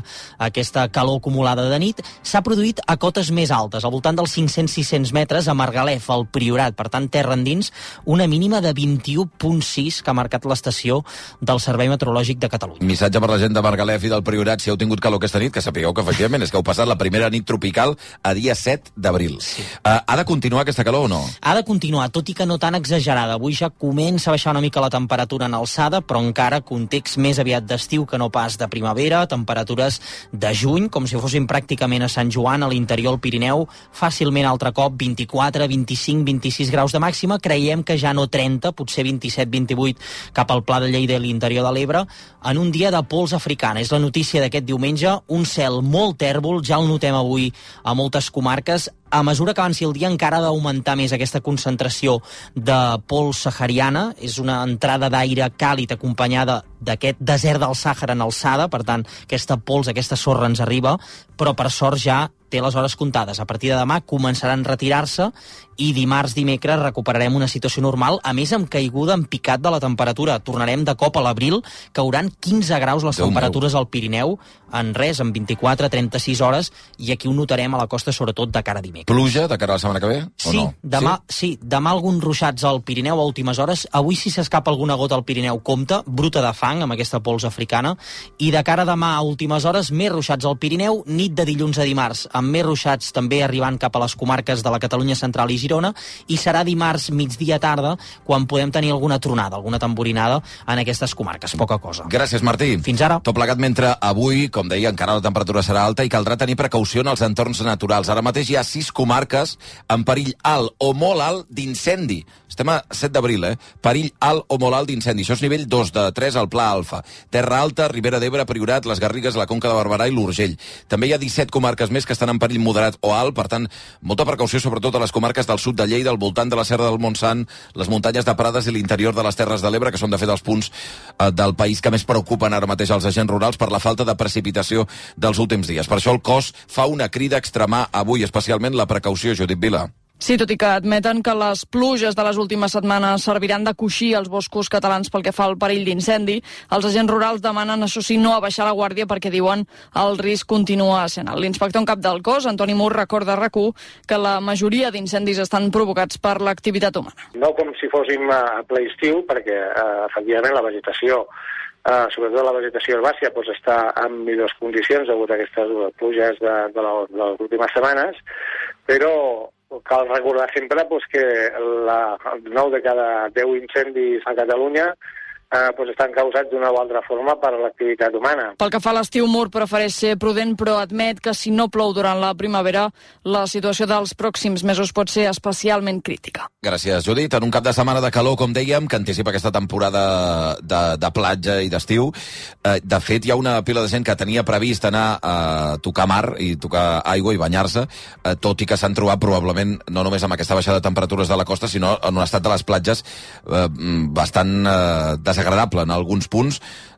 aquesta calor acumulada de nit. S'ha produït a cotes més altes, al voltant dels 500-600 metres, a Margalef, al Priorat. Per tant, terra endins, una mínima de 21,6 que ha marcat l'estació del Servei Meteorològic de Catalunya. Missatge per la gent de Margalef i del Priorat, si heu tingut calor aquesta nit, que sapigueu que efectivament és que heu passat la primera nit tropical a dia 7 d'abril. Sí. Ha de continuar aquesta calor o no? Ha de continuar, tot i que no tan exagerada. Avui ja comença a baixar una mica la temperatura en alçada, però encara context més aviat d'estiu que no pas de primavera, temperatures de juny, com si fossin pràcticament a Sant Joan, a l'interior del Pirineu, fàcilment altre cop 24, 25, 26 graus de màxima, creiem que ja no 30, potser 27, 28 cap al Pla de Lleida i l'interior de l'Ebre, en un dia de pols africana. És la notícia d'aquest diumenge, un cel molt tèrbol, ja el notem avui a moltes comarques. A mesura que avanci el dia encara ha d'augmentar més aquesta concentració de pols sahariana. És una entrada d'aire càlid acompanyada d'aquest desert del Sàhara en alçada, per tant, aquesta pols, aquesta sorra ens arriba, però per sort ja té les hores comptades. A partir de demà començaran a retirar-se i dimarts, dimecres recuperarem una situació normal, a més amb caiguda en picat de la temperatura. Tornarem de cop a l'abril, cauran 15 graus les temperatures al Pirineu, en 24-36 hores, i aquí ho notarem a la costa, sobretot de cara a dimecres. Pluja de cara a la setmana que ve? Sí, demà alguns ruixats al Pirineu a últimes hores. Avui, si s'escapa alguna gota al Pirineu, compta, bruta de fang, amb aquesta pols africana, i de cara a demà a últimes hores, més ruixats al Pirineu, nit de dilluns a dimarts, amb més ruixats també arribant cap a les comarques de la Catalunya central i Girona, i serà dimarts migdia tarda quan podem tenir alguna tronada, alguna tamborinada en aquestes comarques, poca cosa. Gràcies, Martí. Fins ara. Tot plegat mentre avui, com deia, encara la temperatura serà alta i caldrà tenir precaució en els entorns naturals. Ara mateix hi ha 6 comarques en perill alt o molt alt d'incendi. Estem a 7 d'abril, Perill alt o molt alt d'incendi. Això és nivell 2 de 3 al Pla Alfa. Terra Alta, Ribera d'Ebre, Priorat, les Garrigues, la Conca de Barberà i l'Urgell. També hi ha 17 comarques més que estan en perill moderat o alt, per tant, molta precaució sobretot a les comarques del sud de Lleida, al voltant de la Serra del Montsant, les muntanyes de Prades i l'interior de les Terres de l'Ebre, que són de fet els punts del país que més preocupen ara mateix els agents rurals per la falta de precipitació dels últims dies. Per això el cos fa una crida a extremar avui especialment la precaució, Judit Vila. Sí, tot i que admeten que les pluges de les últimes setmanes serviran de coixí als boscos catalans pel que fa al perill d'incendi, els agents rurals demanen, això sí, no abaixar la guàrdia perquè diuen el risc continua sent alt. L'inspector en cap del cos, Antoni Mur, recorda a RAC1 que la majoria d'incendis estan provocats per l'activitat humana. No com si fóssim a ple estiu, perquè efectivament la vegetació, sobretot la vegetació herbàcia, està en millors condicions degut a aquestes pluges de les últimes setmanes, però cal recordar sempre que 9 de cada 10 incendis a Catalunya estan causats d'una o altra forma per l'activitat humana. Pel que fa a l'estiu, Mur prefereix ser prudent, però admet que si no plou durant la primavera, la situació dels pròxims mesos pot ser especialment crítica. Gràcies, Judit. En un cap de setmana de calor, com dèiem, que anticipa aquesta temporada de platja i d'estiu, de fet, hi ha una pila de gent que tenia previst anar a tocar mar i tocar aigua i banyar-se, tot i que s'han trobat probablement no només amb aquesta baixada de temperatures de la costa, sinó en un estat de les platges bastant desagradable en alguns punts,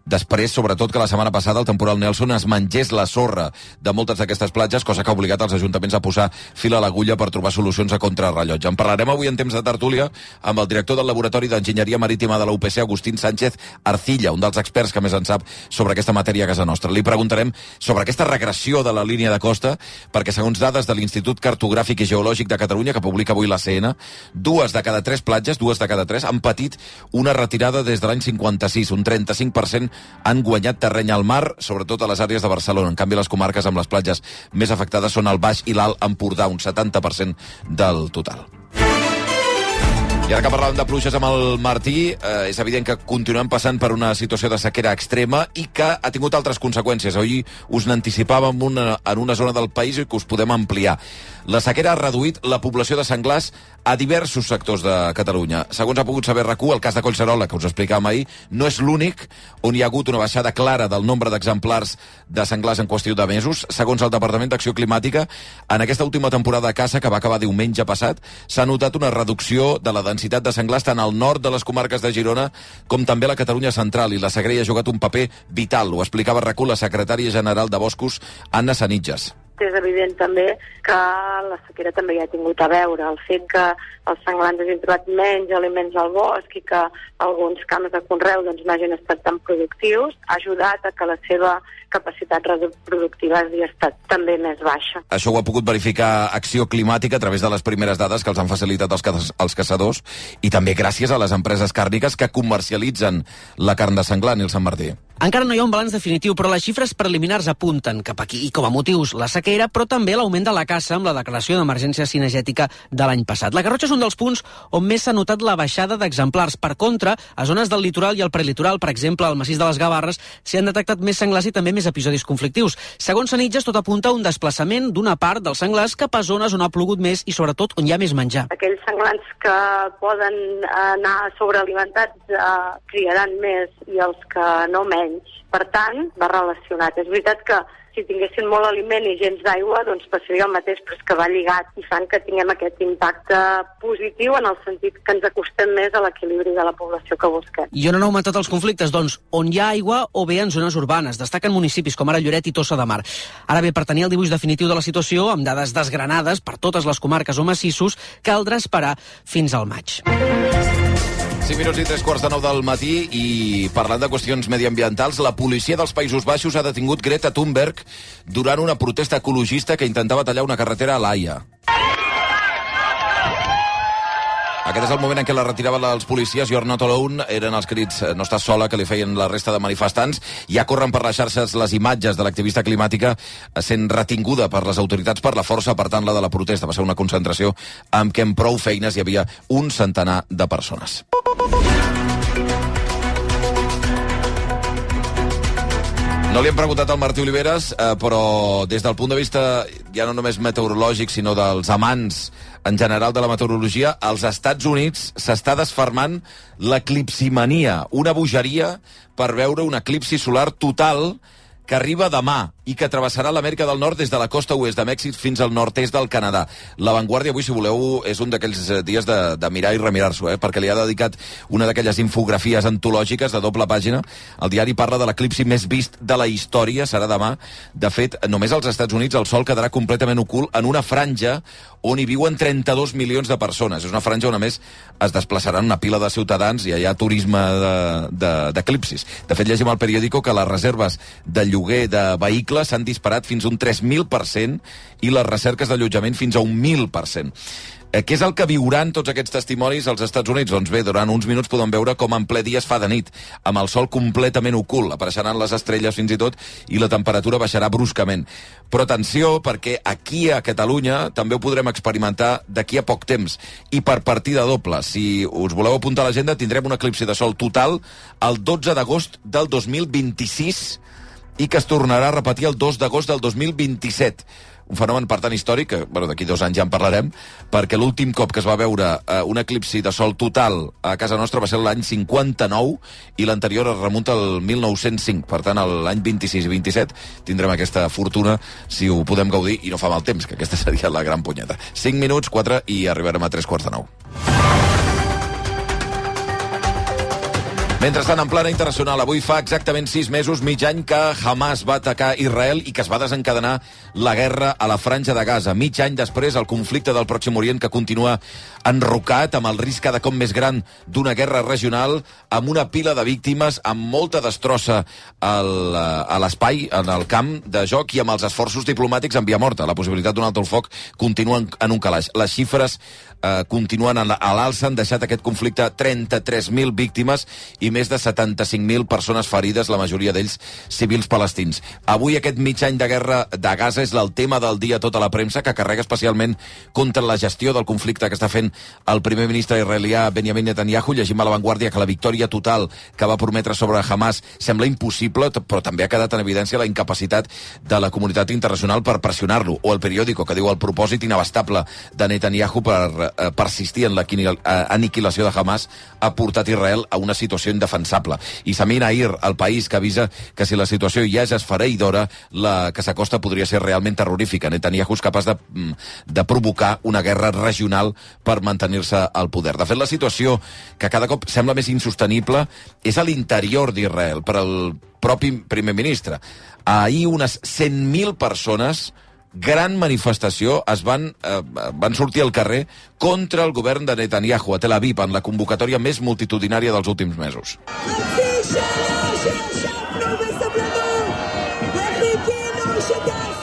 després, sobretot, que la setmana passada el temporal Nelson es mengés la sorra de moltes d'aquestes platges, cosa que ha obligat els ajuntaments a posar fil a l'agulla per trobar solucions a contrarrellotge. En parlarem avui en temps de tertúlia amb el director del Laboratori d'Enginyeria Marítima de la UPC, Agustín Sánchez Arcilla, un dels experts que més en sap sobre aquesta matèria a casa nostra. Li preguntarem sobre aquesta regressió de la línia de costa, perquè segons dades de l'Institut Cartogràfic i Geològic de Catalunya, que publica avui l'ACN, 2 de cada 3 platges, 2 de cada 3, han patit una retirada des de l'any 56, un 35% han guanyat terreny al mar, sobretot a les àrees de Barcelona. En canvi, les comarques amb les platges més afectades són el Baix i l'Alt Empordà, un 70% del total. I ara que parlàvem de pluges amb el Martí, és evident que continuem passant per una situació de sequera extrema i que ha tingut altres conseqüències. Avui us n'anticipàvem en una zona del país i que us podem ampliar. La sequera ha reduït la població de senglars a diversos sectors de Catalunya. Segons ha pogut saber RAC1, el cas de Collserola, que us explicàvem ahir, no és l'únic on hi ha hagut una baixada clara del nombre d'exemplars de senglars en qüestió de mesos. Segons el Departament d'Acció Climàtica, en aquesta última temporada de caça, que va acabar diumenge passat, s'ha notat una reducció de la densitat de senglars tant al nord de les comarques de Girona com també a la Catalunya central, i la sequera ha jugat un paper vital. Ho explicava RAC1 la secretària general de Boscos, Anna Sanitges. És evident també que la sequera també hi ha tingut a veure. El fet que els senglars hagin trobat menys aliments al bosc i que alguns camps de conreu no hagin estat tan productius ha ajudat a que la seva capacitat reproductiva hagi estat també més baixa. Això ho ha pogut verificar Acció Climàtica a través de les primeres dades que els han facilitat els caçadors i també gràcies a les empreses càrniques que comercialitzen la carn de senglar, Nilsen Martí. Encara no hi ha un balanç definitiu, però les xifres preliminars apunten cap aquí, i com a motius la sequera, però també l'augment de la caça amb la declaració d'emergència cinegètica de l'any passat. La Garrotxa és un dels punts on més s'ha notat la baixada d'exemplars. Per contra, a zones del litoral i el prelitoral, per exemple, al massís de les Gavarres, s'hi han detectat més senglars i també més episodis conflictius. Segons Sanitges, tot apunta a un desplaçament d'una part dels senglars cap a zones on ha plogut més i, sobretot, on hi ha més menjar. Aquells senglars que poden anar sobrealimentats criaran més i els que no menys. menys. Per tant, va relacionat. És veritat que si tinguessin molt aliment i gens d'aigua, doncs passaria el mateix, però és que va lligat i fan que tinguem aquest impacte positiu en el sentit que ens acostem més a l'equilibri de la població que busquem. I on han augmentat els conflictes? Doncs on hi ha aigua o bé en zones urbanes. Destaquen municipis com ara Lloret i Tossa de Mar. Ara bé, per tenir el dibuix definitiu de la situació, amb dades desgranades per totes les comarques o massissos, caldrà esperar fins al maig. 5 minuts i 3:15 del matí i parlant de qüestions mediambientals, la policia dels Països Baixos ha detingut Greta Thunberg durant una protesta ecologista que intentava tallar una carretera a l'Haia. Aquest és el moment en què la retiraven els policies. You're not alone, eren els crits no estàs sola que li feien la resta de manifestants. Ja corren per les xarxes les imatges de l'activista climàtica sent retinguda per les autoritats per la força apartant-la de la protesta. Va ser una concentració amb què en prou feines hi havia un centenar de persones. No li hem preguntat al Martí Oliveres, però des del punt de vista ja no només meteorològic, sinó dels amants en general de la meteorologia, als Estats Units s'està desfermant l'eclipsimania, una bogeria per veure un eclipsi solar total que arriba demà i que travessarà l'Amèrica del Nord des de la costa oest de Mèxic fins al nord-est del Canadà. La Vanguardia avui, si voleu, és un d'aquells dies de mirar i remirar-s'ho, perquè li ha dedicat una d'aquelles infografies antològiques de doble pàgina. El diari parla de l'eclipsi més vist de la història, serà demà. De fet, només als Estats Units el sol quedarà completament ocult en una franja on hi viuen 32 milions de persones. És una franja on, a més, es desplaçaran una pila de ciutadans i hi ha turisme d'eclipsis. De fet, llegim al periòdico que les reserves de lloguer de vehicles s'han disparat fins a un 3.000% i les recerques d'allotjament fins a un 1.000%. Què és el que viuran tots aquests testimonis als Estats Units? Doncs bé, durant uns minuts podem veure com en ple dia es fa de nit, amb el sol completament ocult, apareixeran les estrelles fins i tot, i la temperatura baixarà bruscament. Però atenció, perquè aquí a Catalunya també ho podrem experimentar d'aquí a poc temps, i per partida doble. Si us voleu apuntar a l'agenda, tindrem un eclipsi de sol total el 12 d'agost del 2026 i que es tornarà a repetir el 2 d'agost del 2027. Un fenomen, per tant, històric, que d'aquí 2 anys ja en parlarem, perquè l'últim cop que es va veure un eclipsi de sol total a casa nostra va ser l'any 59 i l'anterior es remunta al 1905. Per tant, l'any 26 i 27 tindrem aquesta fortuna si ho podem gaudir i no fa mal temps, que aquesta seria la gran punyeta. 5 minuts, 4 i arribarem a 3:15. Mentrestant, en plana internacional, avui fa exactament 6 mesos, mig any, que Hamas va atacar Israel i que es va desencadenar la guerra a la Franja de Gaza. Mig any després, el conflicte del Pròxim Orient, que continua enrocat, amb el risc cada cop més gran d'una guerra regional, amb una pila de víctimes, amb molta destrossa a l'espai, en el camp de joc, i amb els esforços diplomàtics en via morta. La possibilitat d'un alto el foc continua en un calaix. Les xifres continuen a l'alça, han deixat aquest conflicte 33.000 víctimes i més de 75.000 persones ferides, la majoria d'ells civils palestins. Avui aquest mig any de guerra de Gaza és el tema del dia a tota la premsa, que carrega especialment contra la gestió del conflicte que està fent el primer ministre israelià Benjamin Netanyahu. Llegim a La Vanguardia que la victòria total que va prometre sobre Hamas sembla impossible, però també ha quedat en evidència la incapacitat de la comunitat internacional per pressionar-lo. O el periòdico, que diu el propòsit inabastable de Netanyahu per persistir en l'aniquilació de Hamas ha portat Israel a una situació indefensable. I Samir Nair, el País, que avisa que si la situació ja és esfereïdora, la que s'acosta podria ser realment terrorífica. Netanyahu és capaç de provocar una guerra regional per mantenir-se al poder. De fet, la situació que cada cop sembla més insostenible és a l'interior d'Israel, per al propi primer ministre. Ahir unes 100.000 persones, gran manifestació, van sortir al carrer contra el govern de Netanyahu a Tel Aviv, en la convocatòria més multitudinària dels últims mesos.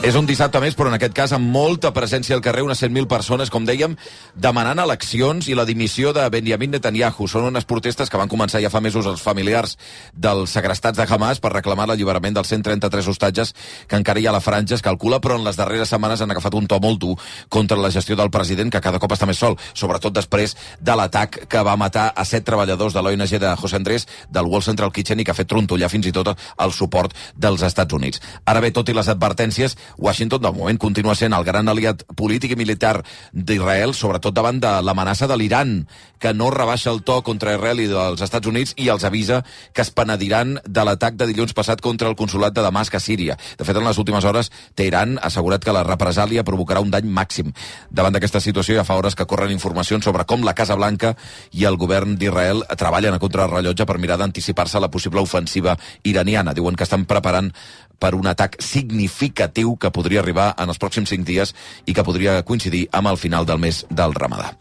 És un dissabte més, però en aquest cas amb molta presència al carrer, unes 100.000 persones, com dèiem, demanant eleccions i la dimissió de Benjamin Netanyahu. Són unes protestes que van començar ja fa mesos els familiars dels segrestats de Hamas per reclamar l'alliberament dels 133 hostatges que encara hi ha a la franja, es calcula, però en les darreres setmanes han agafat un to molt dur contra la gestió del president, que cada cop està més sol, sobretot després de l'atac que va matar a 7 treballadors de l'ONG de José Andrés, del World Central Kitchen, i que ha fet trontollar fins i tot el suport dels Estats Units. Ara bé, tot i les advertències, Washington, de moment, continua sent el gran aliat polític i militar d'Israel, sobretot davant de l'amenaça de l'Iran, que no rebaixa el to contra Israel i dels Estats Units i els avisa que es penediran de l'atac de dilluns passat contra el consolat de Damasc a Síria. De fet, en les últimes hores, Teheran ha assegurat que la represàlia provocarà un dany màxim. Davant d'aquesta situació, ja fa hores que corren informacions sobre com la Casa Blanca i el govern d'Israel treballen a contrarrellotge per mirar d'anticipar-se a la possible ofensiva iraniana. Diuen que estan preparant per un atac significatiu que podria arribar en els pròxims 5 dies i que podria coincidir amb el final del mes del Ramadà.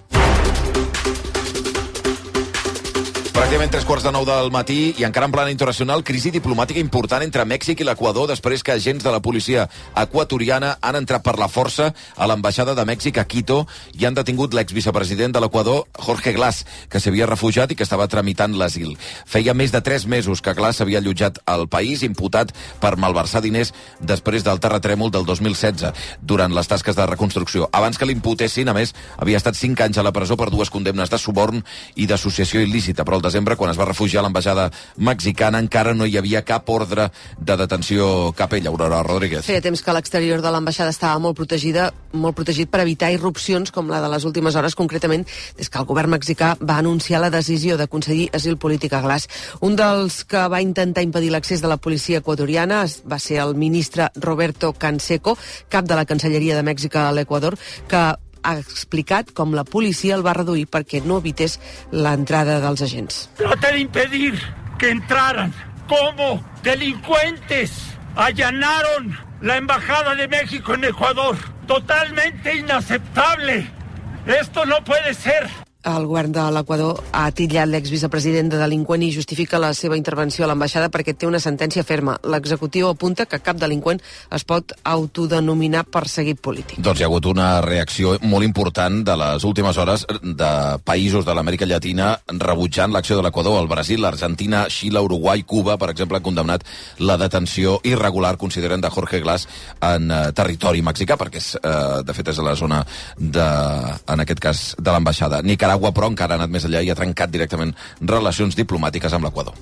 Pràcticament 3:15 del matí i encara en plana internacional, crisi diplomàtica important entre Mèxic i l'Equador després que agents de la policia equatoriana han entrat per la força a l'ambaixada de Mèxic a Quito i han detingut l'exvicepresident de l'Equador, Jorge Glass, que s'havia refugiat i que estava tramitant l'asil. Feia més de 3 mesos que Glass s'havia allotjat al país, imputat per malversar diners després del terratrèmol del 2016, durant les tasques de reconstrucció. Abans que l'imputessin, a més, havia estat 5 anys a la presó per 2 condemnes de suborn i d'associació il·lícita, però el desembre, quan es va refugiar a l'ambaixada mexicana, encara no hi havia cap ordre de detenció cap ella. Aurora Rodríguez. Feia temps que l'exterior de l'ambaixada estava molt protegit per evitar irrupcions com la de les últimes hores, concretament des que el govern mexicà va anunciar la decisió de concedir asil polític a Glass. Un dels que va intentar impedir l'accés de la policia equatoriana va ser el ministre Roberto Canseco, cap de la Cancelleria de Mèxic a l'Equador, que ha explicat com la policia el va reduir perquè no evités l'entrada dels agents. Trata de impedir que entraran como delincuentes. Allanaron la embajada de México en Ecuador. Totalmente inaceptable. Esto no puede ser. El govern de l'Equador ha titllat l'exvicepresident de delinqüent i justifica la seva intervenció a l'ambaixada perquè té una sentència ferma. L'executiu apunta que cap delinqüent es pot autodenominar perseguit polític. Doncs hi ha hagut una reacció molt important de les últimes hores de països de l'Amèrica Llatina rebutjant l'acció de l'Equador. El Brasil, l'Argentina, Xile, Uruguai, Cuba, per exemple, han condemnat la detenció irregular, consideren, de Jorge Glass en territori mexicà, perquè de fet és a la zona, en aquest cas, de l'ambaixada. Nicaragua, però, encara ha anat més enllà i ha trencat directament relacions diplomàtiques amb l'Equador.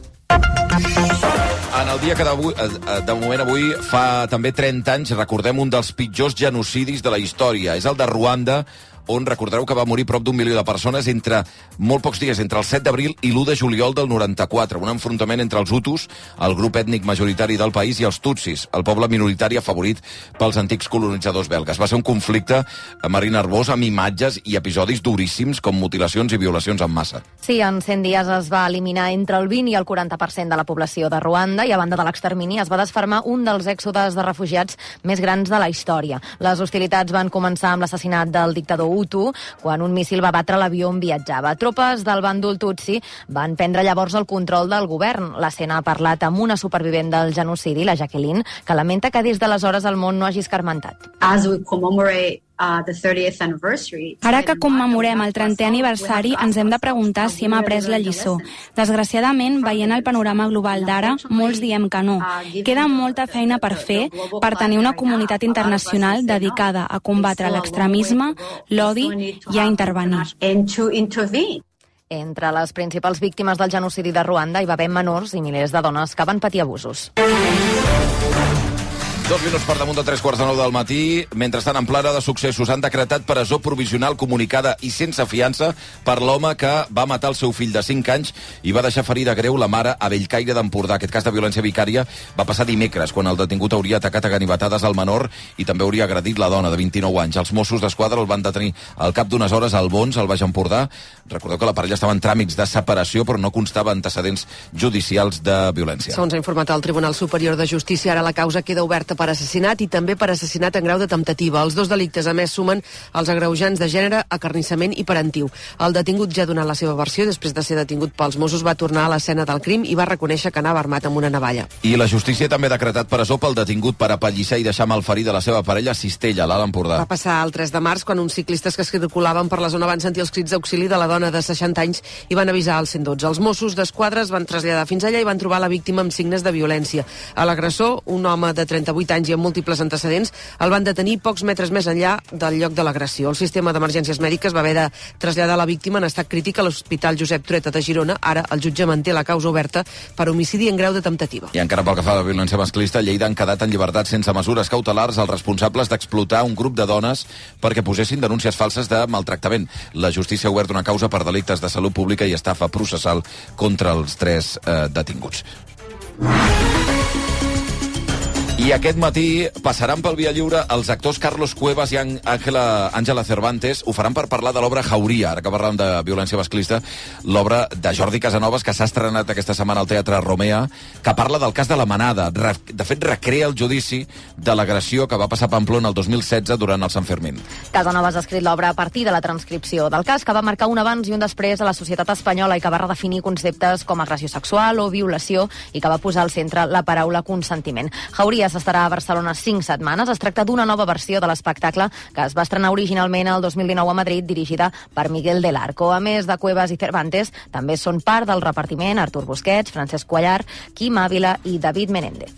En el dia que de moment avui fa també 30 anys, recordem un dels pitjors genocidis de la història. És el de Ruanda, on recordareu que va morir prop d'1 milió de persones entre molt pocs dies, entre el 7 d'abril i l'1 de juliol del 94. Un enfrontament entre els Hutus, el grup ètnic majoritari del país, i els Tutsis, el poble minoritari afavorit pels antics colonitzadors belgues. Va ser un conflicte, Marí Nervós, amb imatges i episodis duríssims com mutilacions i violacions en massa. Sí, en 100 dies es va eliminar entre el 20 i el 40% de la població de Ruanda i a banda de l'extermini es va desfermar un dels èxodes de refugiats més grans de la història. Les hostilitats van començar amb l'assassinat del dictador Hutu, quan un míssil va batre l'avió on viatjava. Tropes del bàndol Tutsi van prendre llavors el control del govern. L'escena ha parlat amb una supervivent del genocidi, la Jacqueline, que lamenta que des d'aleshores el món no hagi escarmentat. As we commemorate the 30th anniversary. Ara que commemorem el 30è aniversari, ens hem de preguntar si hem après la lliçó. Desgraciadament, veient el panorama global d'ara, molts diem que no. Queda molta feina per fer per tenir una comunitat internacional dedicada a combatre l'extremisme, l'odi i a intervenir. Entre les principals víctimes del genocidi de Ruanda hi va haver menors i milers de dones que van patir abusos. 2 minuts per damunt de 3:15 del matí. Mentrestant, en plana de successos, han decretat presó provisional comunicada i sense fiança per l'home que va matar el seu fill de 5 anys i va deixar ferida greu la mare a Bellcaire d'Empordà. Aquest cas de violència vicària va passar dimecres, quan el detingut hauria atacat a ganivetades al menor i també hauria agredit la dona de 29 anys. Els Mossos d'Esquadra el van detenir al cap d'unes hores al Bons, al Baix Empordà. Recordeu que la parella estava en tràmits de separació, però no constava antecedents judicials de violència. Segons ha informat el Tribunal Superior de Justícia, ara la causa queda oberta per assassinat i també per assassinat en grau de temptativa. Els 2 delictes, a més, sumen els agreujants de gènere, acarnissament i parentiu. El detingut ja ha donat la seva versió. Després de ser detingut pels Mossos, va tornar a l'escena del crim i va reconèixer que anava armat amb una navalla. I la justícia també ha decretat presó pel detingut per apallissar i deixar malferida la seva parella a Cistella, a l'Alt Empordà. Va passar el 3 de març, quan uns ciclistes que circulaven per la zona van sentir els crits d'auxili de la dona de 60 anys i van avisar al 112. Els Mossos d'Esquadra es van traslladar fins allà i van trobar la víctima amb signes de violència. A l'agressor, un home de 38 18 anys i amb múltiples antecedents, el van detenir pocs metres més enllà del lloc de l'agressió. El sistema d'emergències mèdiques va haver de traslladar la víctima en estat crític a l'Hospital Josep Trueta de Girona. Ara el jutge manté la causa oberta per homicidi en grau de temptativa. I encara pel que fa a la violència masclista, a Lleida han quedat en llibertat sense mesures cautelars els responsables d'explotar un grup de dones perquè posessin denúncies falses de maltractament. La justícia ha obert una causa per delictes de salut pública i estafa processal contra els 3 detinguts. I aquest matí passaran pel Via Lliure els actors Carlos Cuevas i Àngela Cervantes. Ho faran per parlar de l'obra Jauria, ara que parlàvem de violència masclista, l'obra de Jordi Casanovas, que s'ha estrenat aquesta setmana al Teatre Romea, que parla del cas de la Manada. De fet, recrea el judici de l'agressió que va passar a Pamplona el 2016 durant el Sant Fermín. Casanovas ha escrit l'obra a partir de la transcripció del cas, que va marcar un abans i un després a la societat espanyola i que va redefinir conceptes com agressió sexual o violació i que va posar al centre la paraula consentiment. Jauria s'estarà a Barcelona 5 setmanes. Es tracta d'una nova versió de l'espectacle que es va estrenar originalment el 2019 a Madrid, dirigida per Miguel del Arco. A més de Cuevas i Cervantes, també són part del repartiment Artur Busquets, Francesc Cuellar, Quim Ávila i David Menéndez.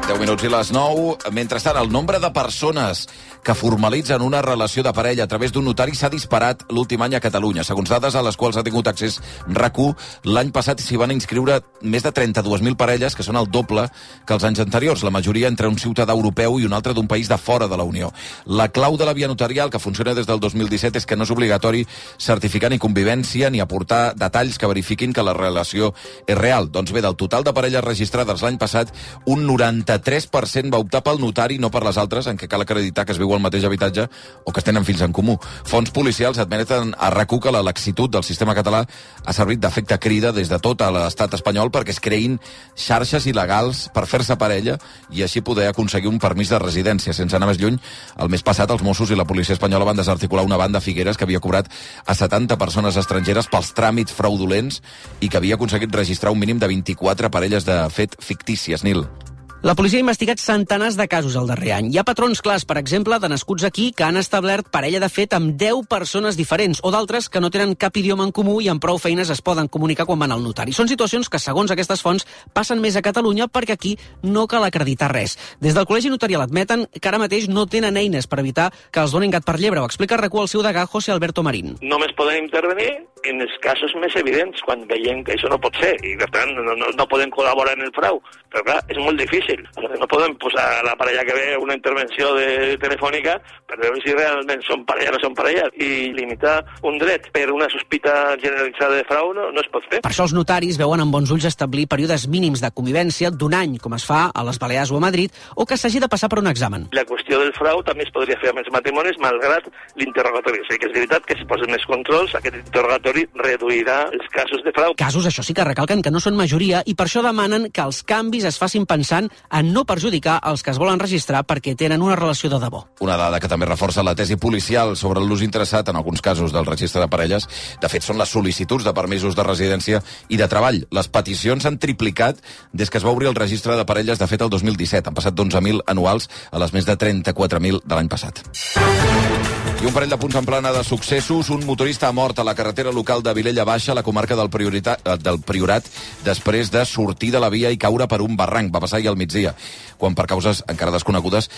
10 minuts i les 9. Mentrestant, el nombre de persones que formalitzen una relació de parella a través d'un notari s'ha disparat l'últim any a Catalunya. Segons dades a les quals ha tingut accés RAC1, l'any passat s'hi van inscriure més de 32.000 parelles, que són el doble que els anys anteriors, la majoria entre un ciutadà europeu i un altre d'un país de fora de la Unió. La clau de la via notarial, que funciona des del 2017, és que no és obligatori certificar ni convivència ni aportar detalls que verifiquin que la relació és real. Doncs bé, del total de parelles registrades l'any passat, un 93% va optar pel notari, no per les altres, en què cal acreditar que es viu al mateix habitatge o que es tenen fills en comú. Fonts policials admeten a RAC1 que la laxitud del sistema català ha servit d'efecte crida des de tot l'estat espanyol perquè es creïn xarxes il·legals per fer-se parella i així poder aconseguir un permís de residència. Sense anar més lluny, el mes passat els Mossos i la policia espanyola van desarticular una banda a Figueres que havia cobrat a 70 persones estrangeres pels tràmits fraudulents i que havia aconseguit registrar un mínim de 24 parelles de fet fictícies. Nil. La policia ha investigat centenars de casos el darrer any. Hi ha patrons clars, per exemple, de nascuts aquí que han establert parella de fet amb 10 persones diferents o d'altres que no tenen cap idioma en comú i amb prou feines es poden comunicar quan van al notari. Són situacions que, segons aquestes fonts, passen més a Catalunya perquè aquí no cal acreditar res. Des del Col·legi Notarial admeten que ara mateix no tenen eines per evitar que els donin gat per llebre. Ho explica RAC1 el seu degà, José Alberto Marín. Només podem intervenir en els casos més evidents, quan veiem que això no pot ser i, per tant, no podem col·laborar en el frau. Però, clar, és molt difícil. No podem posar la parella que ve una intervenció telefònica per veure si realment són parella o no són parella i limitar un dret per una sospita generalitzada de frau no es pot fer. Per això els notaris veuen amb bons ulls establir períodes mínims de convivència d'un any, com es fa a les Balears o a Madrid, o que s'hagi de passar per un examen. La qüestió del frau també es podria fer amb els matrimonis malgrat l'interrogatori. O sigui que és veritat que si posen més controls, aquest interrogatori reduirà els casos de frau. Casos, això sí que recalquen que no són majoria i per això demanen que els canvis es facin pensant en no perjudicar els que es volen registrar perquè tenen una relació de debò. Una dada que també reforça la tesi policial sobre l'ús interessat en alguns casos del registre de parelles. De fet, són les sol·licituds de permisos de residència i de treball. Les peticions s'han triplicat des que es va obrir el registre de parelles, de fet, el 2017. Han passat d'11.000 anuals a les més de 34.000 de l'any passat. I un parell de punts en plana de successos. Un motorista ha mort a la carretera local de Vilella Baixa, a la comarca del Priorat, després de sortir de la via i caure per un barranc. Va passar ahir al migdia, quan per causes encara desconegudes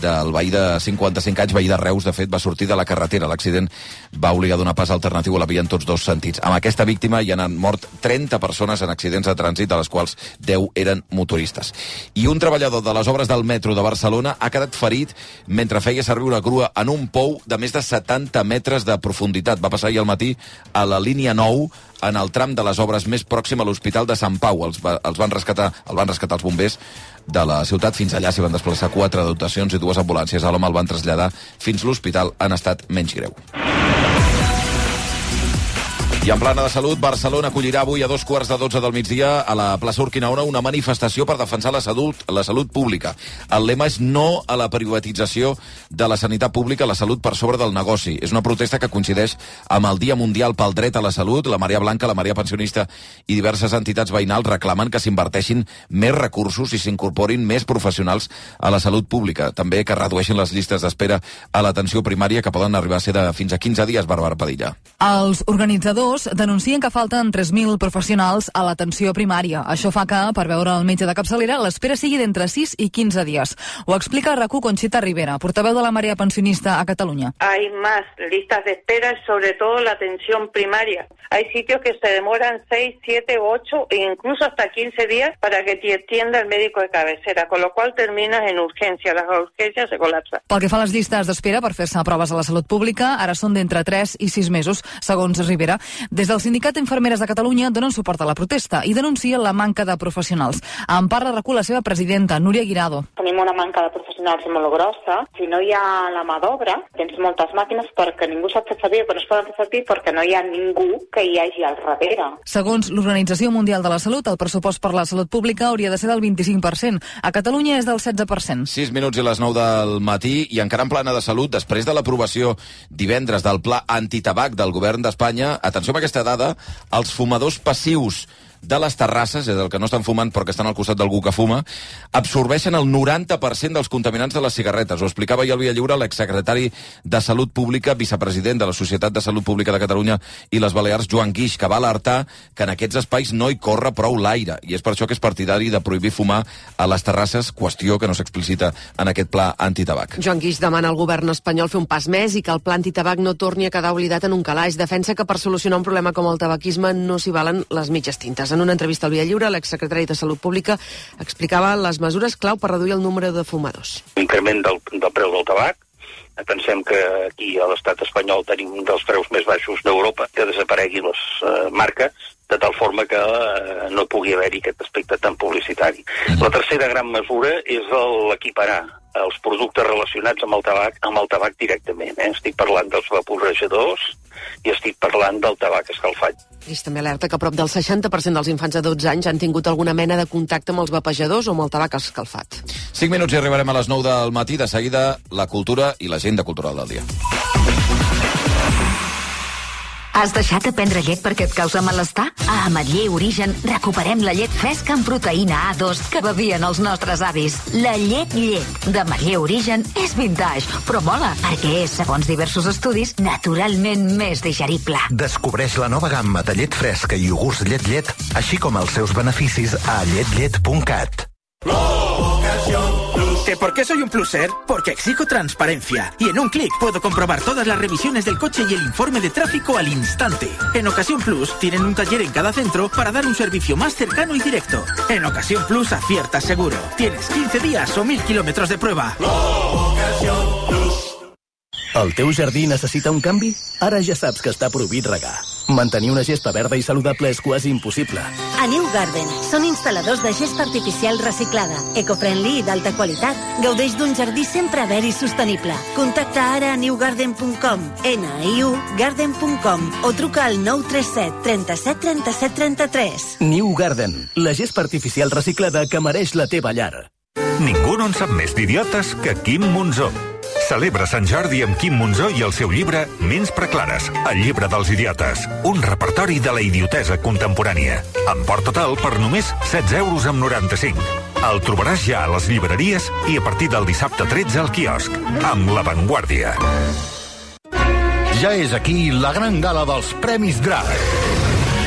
del veí de 55 anys, veí de Reus, de fet, va sortir de la carretera. L'accident va obligar a donar pas alternatiu a la via en tots dos sentits. Amb aquesta víctima hi han mort 30 persones en accidents de trànsit, de les quals 10 eren motoristes. I un treballador de les obres del metro de Barcelona ha quedat ferit mentre feia servir una grua en un pou de més de 70 metres de profunditat. Va passar ahir al matí a la línia 9, en el tram de les obres més pròxim a l'Hospital de Sant Pau. El van rescatar els bombers de la ciutat. Fins allà s'hi van desplaçar 4 dotacions i 2 ambulàncies. A l'home el van traslladar fins a l'hospital en estat menys greu. I en plana de salut, Barcelona acollirà avui a 12:15 del migdia a la plaça Urquinaona una manifestació per defensar la salut pública. El lema és no a la privatització de la sanitat pública, la salut per sobre del negoci. És una protesta que coincideix amb el Dia Mundial pel Dret a la Salut. La Marea Blanca, la Marea Pensionista i diverses entitats veïnals reclamen que s'inverteixin més recursos i s'incorporin més professionals a la salut pública. També que redueixin les llistes d'espera a l'atenció primària, que poden arribar a ser de fins a 15 dies, Bàrbara Padilla. Els organitzadors fumadors denuncien que falten 3.000 professionals a l'atenció primària. Això fa que, per veure el metge de capçalera, l'espera sigui d'entre 6 i 15 dies. Ho explica a RAC1 Conxita Rivera, portaveu de la Marea Pensionista a Catalunya. Hay más listas de espera, sobre todo la atención primaria. Hay sitios que se demoran 6, 7, 8 e incluso hasta 15 días para que te atienda el médico de cabecera, con lo cual terminas en urgencia. Las urgencias se colapsan. Pel que fa a les llistes d'espera per fer-se proves a la salut pública, ara són d'entre 3 i 6 mesos, segons Rivera. Des del Sindicat d'Infermeres de Catalunya donen suport a la protesta i denuncien la manca de professionals. En parla RAC1 la seva presidenta, Núria Guirado. Tenim una manca de professionals molt grossa. Si no hi ha la mà d'obra, tens moltes màquines perquè ningú sap fer servir, però no es poden fer servir perquè no hi ha ningú que hi hagi al darrere. Segons l'Organització Mundial de la Salut, el pressupost per la salut pública hauria de ser del 25%. A Catalunya és del 16%. 6 minuts i les 9 del matí, i encara en plana de salut, després de l'aprovació divendres del pla antitabac del govern d'Espanya, atenció amb aquesta dada, els fumadors passius de les terrasses, és el que no estan fumant però que estan al costat d'algú que fuma, absorbeixen el 90% dels contaminants de les cigarretes. Ho explicava ahir al Via Lliure l'exsecretari de Salut Pública, vicepresident de la Societat de Salut Pública de Catalunya i les Balears, Joan Guix, que va alertar que en aquests espais no hi corre prou l'aire, i és per això que és partidari de prohibir fumar a les terrasses, qüestió que no s'explicita en aquest pla antitabac. Joan Guix demana al govern espanyol fer un pas més i que el pla antitabac no torni a quedar oblidat en un calaix. Defensa que per solucionar un problema com el tabaquisme no s'hi valen les mitges tintes. En una entrevista al Via Lliure, l'exsecretari de Salut Pública explicava les mesures clau per reduir el número de fumadors. L'increment del preu del tabac. Pensem que aquí a l'estat espanyol tenim un dels preus més baixos d'Europa, que desapareguin les marques, de tal forma que no pugui haver-hi aquest aspecte tan publicitari. La tercera gran mesura és l'equiparar els productes relacionats amb el tabac directament. Estic parlant dels vaporejadors i estic parlant del tabac escalfat. Guix també alerta que prop del 60% dels infants de 12 anys han tingut alguna mena de contacte amb els vapejadors o amb el tabac escalfat. 5 minuts i arribarem a les 9 del matí. De seguida, la cultura i l'agenda cultural del dia. Has deixat de prendre llet perquè et causa malestar? A Ametller Origen recuperem la llet fresca amb proteïna A2 que bevien els nostres avis. La llet d'Ametller Origen és vintage, però mola, perquè és, segons diversos estudis, naturalment més digerible. Descobreix la nova gamma de llet fresca i iogurts llet, així com els seus beneficis a llet.cat. ¿Que por qué soy un pluser? Porque exijo transparencia. Y en un clic puedo comprobar todas las revisiones del coche y el informe de tráfico al instante. En Ocasión Plus tienen un taller en cada centro para dar un servicio más cercano y directo. En Ocasión Plus aciertas seguro. Tienes 15 días o 1.000 kilómetros de prueba. El teu jardí necessita un canvi? Ara ja saps que està prohibit regar. Mantenir una gespa verda i saludable és quasi impossible. A New Garden són instal·ladors de gespa artificial reciclada, eco-friendly i d'alta qualitat. Gaudeix d'un jardí sempre verd i sostenible. Contacta ara a newgarden.com, NIU-garden.com o truca al 937 37 37 33. New Garden, la gespa artificial reciclada que mereix la teva llar. Ningú no en sap més d'idiotes que Quim Monzó. Celebra Sant Jordi amb Quim Monzó i el seu llibre Ments preclares, el llibre dels idiotes. Un repertori de la idiotesa contemporània. Amb port total per només 16,95 €. El trobaràs ja a les llibreries i a partir del dissabte 13 al quiosc. Amb La Vanguardia. Ja és aquí la gran gala dels Premis Drac.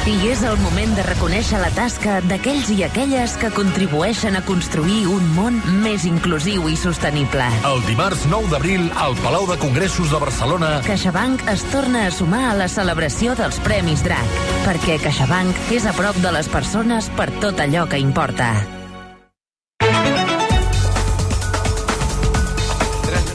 I és el moment de reconèixer la tasca d'aquells i aquelles que contribueixen a construir un món més inclusiu i sostenible. El dimarts 9 d'abril al Palau de Congressos de Barcelona, CaixaBank es torna a sumar a la celebració dels Premis Drac, perquè CaixaBank és a prop de les persones per tot allò que importa.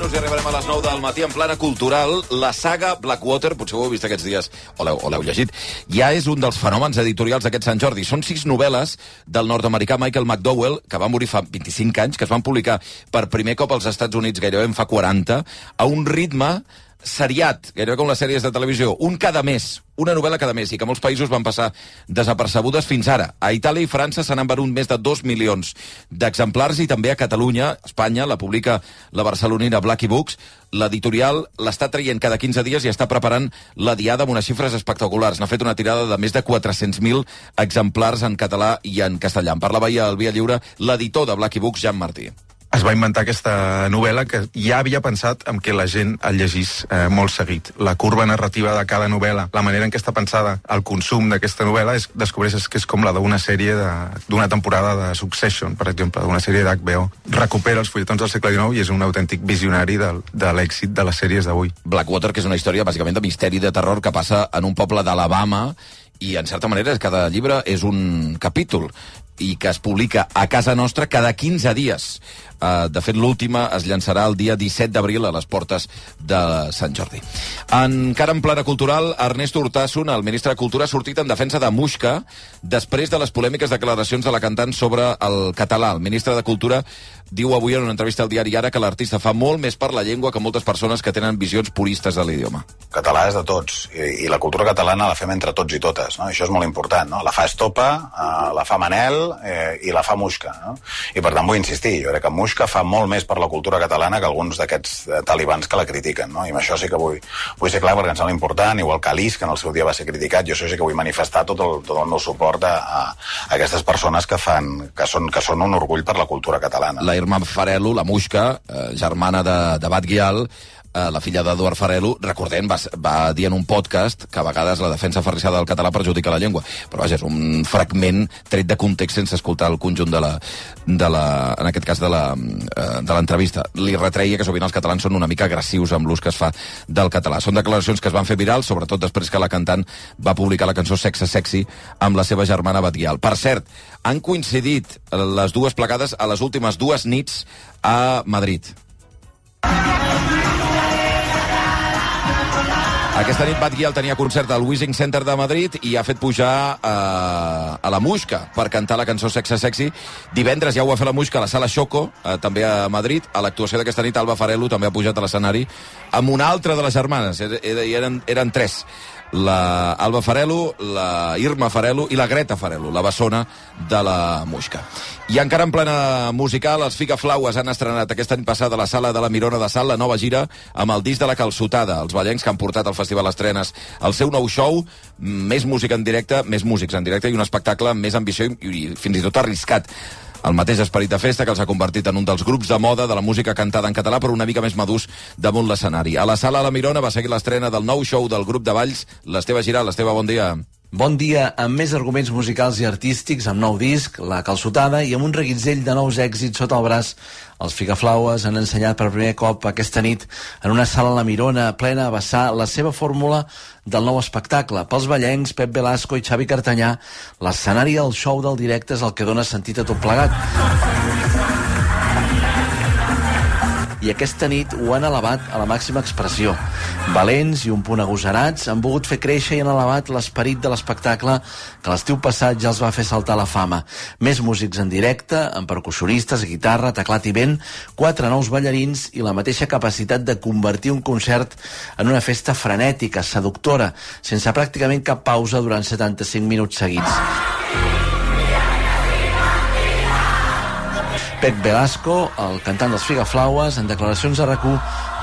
I arribarem a les 9 del matí en plana cultural. La saga Blackwater, potser ho heu vist aquests dies o l'heu llegit, ja és un dels fenòmens editorials d'aquest Sant Jordi. Són 6 novel·les del nord-americà Michael McDowell, que va morir fa 25 anys, que es van publicar per primer cop als Estats Units gairebé en fa 40, a un ritme seriat, gairebé com les sèries de televisió, un cada mes, una novel·la cada mes, i que molts països van passar desapercebudes fins ara. A Itàlia i França se n'han venut més de 2 milions d'exemplars, i també a Catalunya, Espanya, la publica la barcelonina Blackie Books. L'editorial l'està traient cada 15 dies i està preparant la diada amb unes xifres espectaculars. N'ha fet una tirada de més de 400.000 exemplars en català i en castellà. En parlava ahir al Via Lliure l'editor de Blackie Books, Jan Martí. es va inventar aquesta novel·la que ja havia pensat en què la gent el llegís molt seguit. La curva narrativa de cada novel·la, la manera en què està pensada el consum d'aquesta novel·la, descobreixes que és com la d'una sèrie d'una temporada de Succession, per exemple, d'una sèrie d'HBO. Recupera els fulletons del segle XIX i és un autèntic visionari de l'èxit de les sèries d'avui. Blackwater, que és una història bàsicament de misteri de terror que passa en un poble d'Alabama i, en certa manera, cada llibre és un capítol i que es publica a casa nostra cada 15 dies. De fet, l'última es llançarà el dia 17 d'abril a les portes de Sant Jordi. Encara en plana cultural, Ernesto Urtasun, el ministre de Cultura, ha sortit en defensa de Muixca després de les polèmiques declaracions de la cantant sobre el català. El ministre de Cultura diu avui en una entrevista al diari Ara que l'artista fa molt més per la llengua que moltes persones que tenen visions puristes de l'idioma. El català és de tots, i la cultura catalana la fem entre tots i totes, no? Això és molt important, no? La fa Estopa, la fa Manel i la fa Muixca, no? I per tant vull insistir, jo crec que Muixca fa molt més per la cultura catalana que alguns d'aquests talibans que la critiquen, no? I amb això sí que vull ser clar perquè em sembla important, igual que Alice, que en el seu dia va ser criticat, jo això sí que vull manifestar tot el meu suport a aquestes persones que són un orgull per la cultura catalana. La Irma Farelo, la Muixca, germana de Bat Guial, la filla d'Eduard Farelo, recordem, va dir en un podcast que a vegades la defensa aferrissada del català perjudica la llengua. Però vaja, és un fragment tret de context sense escoltar el conjunt en aquest cas de l'entrevista. Li retreia que sovint els catalans són una mica agressius amb l'ús que es fa del català. Són declaracions que es van fer virals, sobretot després que la cantant va publicar la cançó Sexe Sexy amb la seva germana Bat Guial. Per cert, han coincidit les dues plegades a les últimes 2 nits a Madrid. Aquesta nit Bat Guial tenia concert al Wishing Center de Madrid i ha fet pujar a la Muixca per cantar la cançó Sexe Sexy. Divendres ja ho va fer la Muixca a la Sala Xoco, també a Madrid. A l'actuació d'aquesta nit Alba Farelo també ha pujat a l'escenari amb una altra de les germanes. Eren 3. La Alba Farelo, la Irma Farelo i la Greta Farelo, la bessona de la Muixca. I encara en plena musical, els Figaflaues han estrenat aquesta any passada a la Sala de la Mirona de Salt la nova gira amb el disc de la Calçotada, els ballencs que han portat al Festival Estrenes el seu nou show, més música en directe, més músics en directe i un espectacle amb més ambició i fins i tot arriscat. El mateix esperit de festa que els ha convertit en un dels grups de moda de la música cantada en català, però una mica més madurs damunt l'escenari. A la Sala La Mirona va seguir l'estrena del nou show del grup de balls, l'Esteve Giral. Esteve, bon dia. Bon dia, amb més arguments musicals i artístics, amb nou disc, La Calçotada, i amb un reguitzell de nous èxits sota el braç. Els Figaflaues han ensenyat per primer cop aquesta nit en una sala a la Mirona plena a vessar la seva fórmula del nou espectacle. Pels ballencs, Pep Velasco i Xavi Cartanyà, l'escenari del show del directe és el que dona sentit a tot plegat. I aquesta nit ho han elevat a la màxima expressió. Valents i un punt agosarats han volgut fer créixer i han elevat l'esperit de l'espectacle que l'estiu passat ja els va fer saltar la fama. Més músics en directe, amb percussionistes, guitarra, teclat i vent, 4 nous ballarins i la mateixa capacitat de convertir un concert en una festa frenètica, seductora, sense pràcticament cap pausa durant 75 minuts seguits. Pep Velasco, el cantant dels Figaflaues, en declaracions a RAC1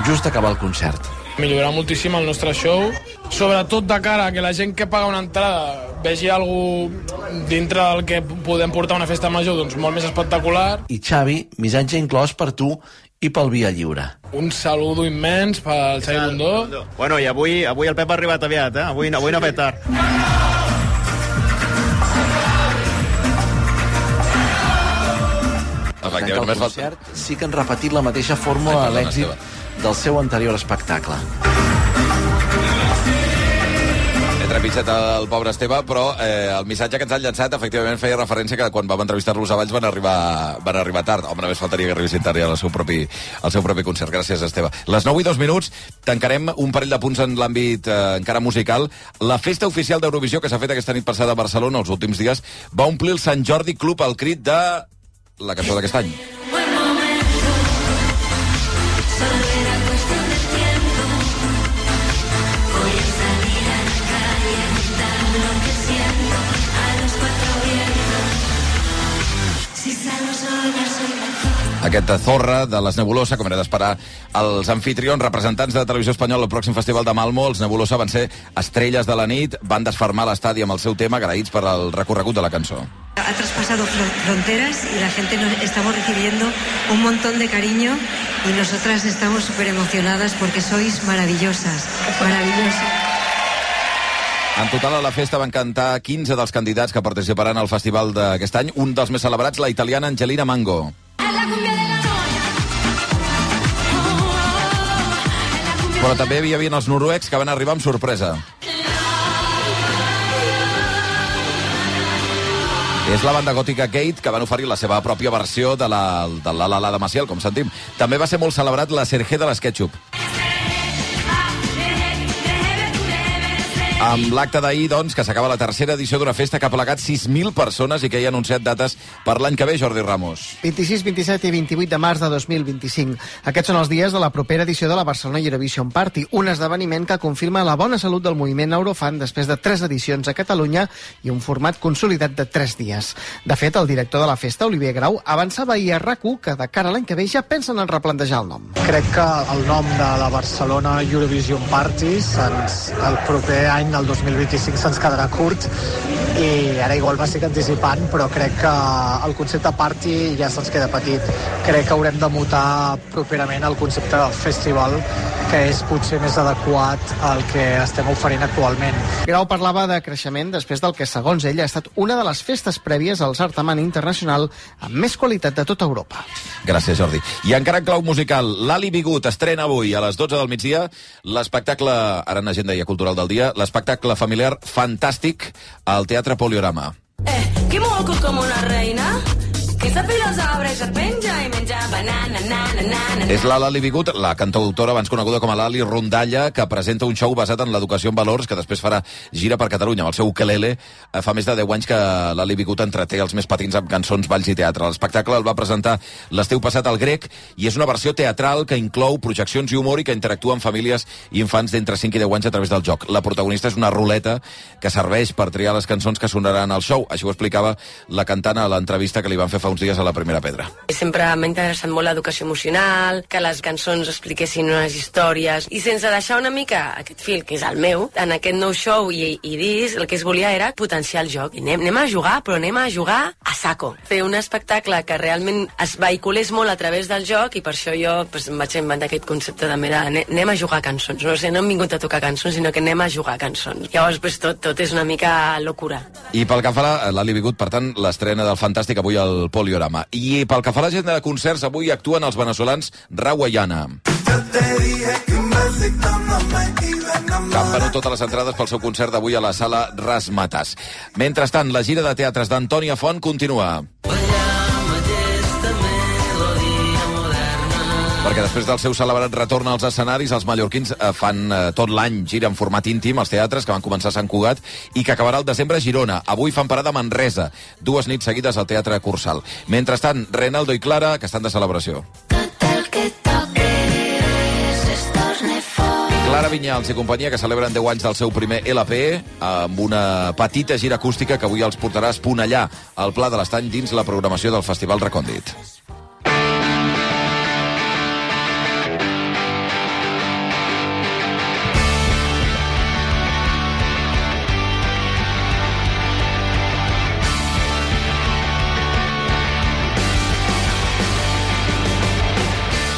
just acabar el concert. Millorar moltíssim el nostre show, sobretot de cara a que la gent que paga una entrada vegi alguna dintre del que podem portar a una festa major, doncs molt més espectacular. I Xavi, missatge inclòs per tu i pel Via Lliure. Un saludo immens pel Xavi Bundó. Bueno, i avui el Pep ha arribat aviat, Avui no ha fet tard. El concert sí que han repetit la mateixa fórmula a l'èxit del seu anterior espectacle. He trepitjat el pobre Esteve, però el missatge que ens han llançat efectivament feia referència que quan vam entrevistar-los a Valls van arribar tard. Home, només faltaria que arribessin tard al seu propi concert. Gràcies, Esteve. Les 9:02 tancarem un parell de punts en l'àmbit encara musical. La festa oficial d'Eurovisió que s'ha fet aquesta nit passada a Barcelona els últims dies va omplir el Sant Jordi Club al crit de la cançó d'aquest any. Aquest Zorra de les Nebulosa, com era d'esperar els anfitrions, representants de Televisió Espanyola al pròxim festival de Malmo. Els Nebulosa van ser estrelles de la nit, van desfermar l'estadi amb el seu tema, agraïts per el recorregut de la cançó. Ha traspasado fronteras y la gente nos estamos recibiendo un montón de cariño y nosotras estamos súper emocionadas porque sois maravillosas, maravillosas. En total, a la festa van cantar 15 dels candidats que participaran al festival d'aquest any. Un dels més celebrats, la italiana Angelina Mango. Però també hi havia els noruecs que van arribar amb sorpresa. És la banda gòtica Gate, que van oferir la seva pròpia versió de la de Maciel, com sentim. També va ser molt celebrat la Sergé de l'Sketchup. Amb l'acte d'ahir, doncs, que s'acaba la tercera edició d'una festa que ha plegat 6.000 persones i que hi ha anunciat dates per l'any que ve, Jordi Ramos. 26, 27 i 28 de març de 2025. Aquests són els dies de la propera edició de la Barcelona Eurovision Party, un esdeveniment que confirma la bona salut del moviment Eurofan després de 3 edicions a Catalunya i un format consolidat de 3 dies. De fet, el director de la festa, Olivier Grau, avançava ahir a RAC1 que de cara a l'any que ve ja pensen en replantejar el nom. Crec que el nom de la Barcelona Eurovision Party el proper any, el 2025, se'ns quedarà curt i ara igual m'estic anticipant, però crec que el concepte party ja se'ns queda petit. Crec que haurem de mutar properament el concepte del festival, que és potser més adequat al que estem oferint actualment. Grau parlava de creixement després del que, segons ell, ha estat una de les festes prèvies al certamen internacional amb més qualitat de tota Europa. Gràcies, Jordi. I encara en clau musical, l'Ali Bigut estrena avui a les 12 del migdia l'espectacle, ara en agenda i cultural del dia, l'espectacle familiar Fantàstic al Teatre Poliorama. Que moco com una reina, que esta filosa et penja i menja banana, És la Lali Bigut, la cantautora abans coneguda com a Lali Rondalla, que presenta un show basat en l'educació en valors, que després farà gira per Catalunya amb el seu ukelele. Fa més de 10 anys que Lali Bigut entreté els més petits amb cançons, balls i teatre. L'espectacle el va presentar l'estiu passat al Grec i és una versió teatral que inclou projeccions i humor i que interactua amb famílies i infants d'entre 5 i 10 anys a través del joc. La protagonista és una ruleta que serveix per triar les cançons que sonaran al show. Així ho explicava la cantant a l'entrevista que li van fer fa uns dies a la Primera Pedra. Sempre m'ha interessat molt l'educació emocional, que les cançons expliquessin unes històries, i sense deixar una mica aquest fil, que és el meu, en aquest nou show i disc, el que es volia era potenciar el joc. I anem a jugar, però anem a jugar a saco. Fer un espectacle que realment es vehiculés molt a través del joc, i per això jo em vaig inventar aquest concepte de anem a jugar cançons. No sé, no hem vingut a tocar cançons, sinó que anem a jugar cançons. Llavors, tot és una mica locura. I pel que fa a l'Ali Bigut, per tant, l'estrena del Fantàstic avui al Poliorama. I pel que fa a l'agenda de concerts, avui actuen els veneçolans Rawayana. Que han venut totes les entrades pel seu concert d'avui a la sala Razzmatazz. Mentrestant, la gira de teatres d'Antònia Font continua. Perquè després del seu celebrat retorn als escenaris, els mallorquins fan tot l'any gira en format íntim als teatres, que van començar a Sant Cugat i que acabarà el desembre a Girona. Avui fan parada a Manresa, 2 nits seguides al Teatre Cursal. Mentrestant, Reinaldo i Clara, que estan de celebració. Clara Vinyals i companyia, que celebren 10 anys del seu primer LP amb una petita gira acústica que avui els portarà a Esponellà, al Pla de l'Estany, dins la programació del Festival Recòndit.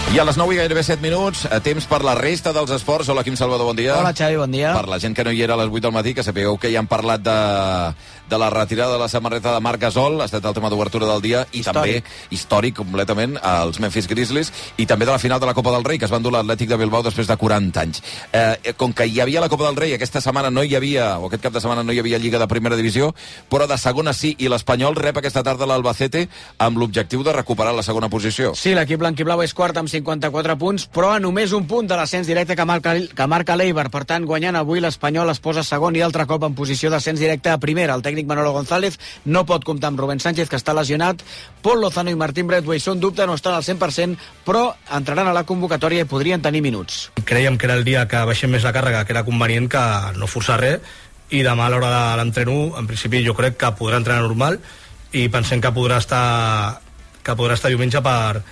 I a les 9 i gairebé 7 minuts, temps per la resta dels esports. Hola, Quim Salvador, bon dia. Hola, Xavi, bon dia. Per la gent que no hi era a les 8 del matí, que sapigueu que ja han parlat de la retirada de la samarreta de Marc Gasol, ha estat el tema d'obertura del dia, i també, històric completament, els Memphis Grizzlies, i també de la final de la Copa del Rei, que es va endur l'Atlètic de Bilbao després de 40 anys. Com que hi havia la Copa del Rei, aquesta setmana no hi havia, o aquest cap de setmana no hi havia Lliga de Primera Divisió, però de segona sí, i l'Espanyol rep aquesta tarda l'Albacete amb l'objectiu de recuperar la segona posició. Sí, l'equip blanquiblau és quart amb 54 punts, però a només un punt de l'ascens directe que marca l'Eibar. Per tant, guanyant avui, l'Espanyol es posa segon i altre cop en posició d'ascens directe a primera. El tècnic Manolo González no pot comptar amb Rubén Sánchez, que està lesionat. Paul Lozano i Martín Braithwaite són dubte, no estan al 100%, però entraran a la convocatòria i podrien tenir minuts. Creiem que era el dia que baixem més la càrrega, que era convenient que no forçar res, i demà a l'hora de l'entreno, en principi jo crec que podrà entrenar normal, i pensem que podrà estar diumenge per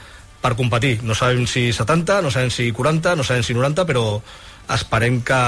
per competir. No sabem si 70, no sabem si 40, no sabem si 90, però esperem que,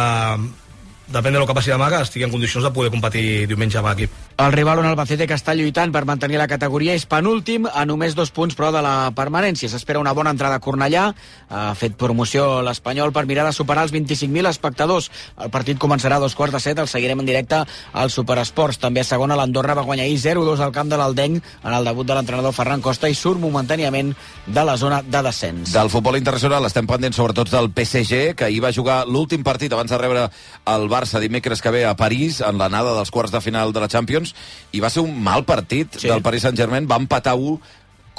depèn de lo que passi demà, que estigui en condicions de poder competir diumenge amb l'equip. El rival, un Albacete que està lluitant per mantenir la categoria, és penúltim a només 2 punts però de la permanència. S'espera una bona entrada a Cornellà. Ha fet promoció l'Espanyol per mirar de superar els 25.000 espectadors. El partit començarà a 2:45, el seguirem en directe al Superesports. També a segona, l'Andorra va guanyar 0-2 al camp de l'Aldenc en el debut de l'entrenador Ferran Costa i surt momentàniament de la zona de descens. Del futbol internacional estem pendents sobretot del PSG, que ahir va jugar l'últim partit abans de rebre el Barça dimecres que ve a París en l'anada dels quarts de final de la Champions, i va ser un mal partit del Paris Saint-Germain. Va empatar 1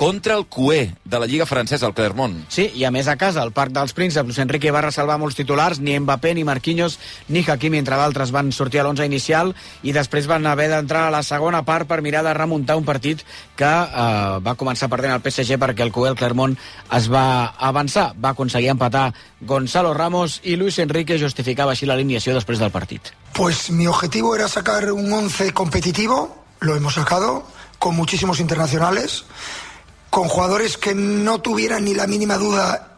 contra el cué de la Lliga francesa, el Clermont. Sí, i a més a casa, al Parc dels Prínceps, Luis Enrique va resalvar molts titulars, ni Mbappé, ni Marquinhos, ni Hakimi, entre d'altres, van sortir a l'11 inicial i després van haver d'entrar a la segona part per mirar de remuntar un partit que va començar perdent el PSG perquè el cué, el Clermont, es va avançar. Va aconseguir empatar Gonzalo Ramos i Luis Enrique justificava així l'alineació després del partit. Pues mi objetivo era sacar un 11 competitivo, lo hemos sacado, con muchísimos internacionales, con jugadores que no tuvieran ni la mínima duda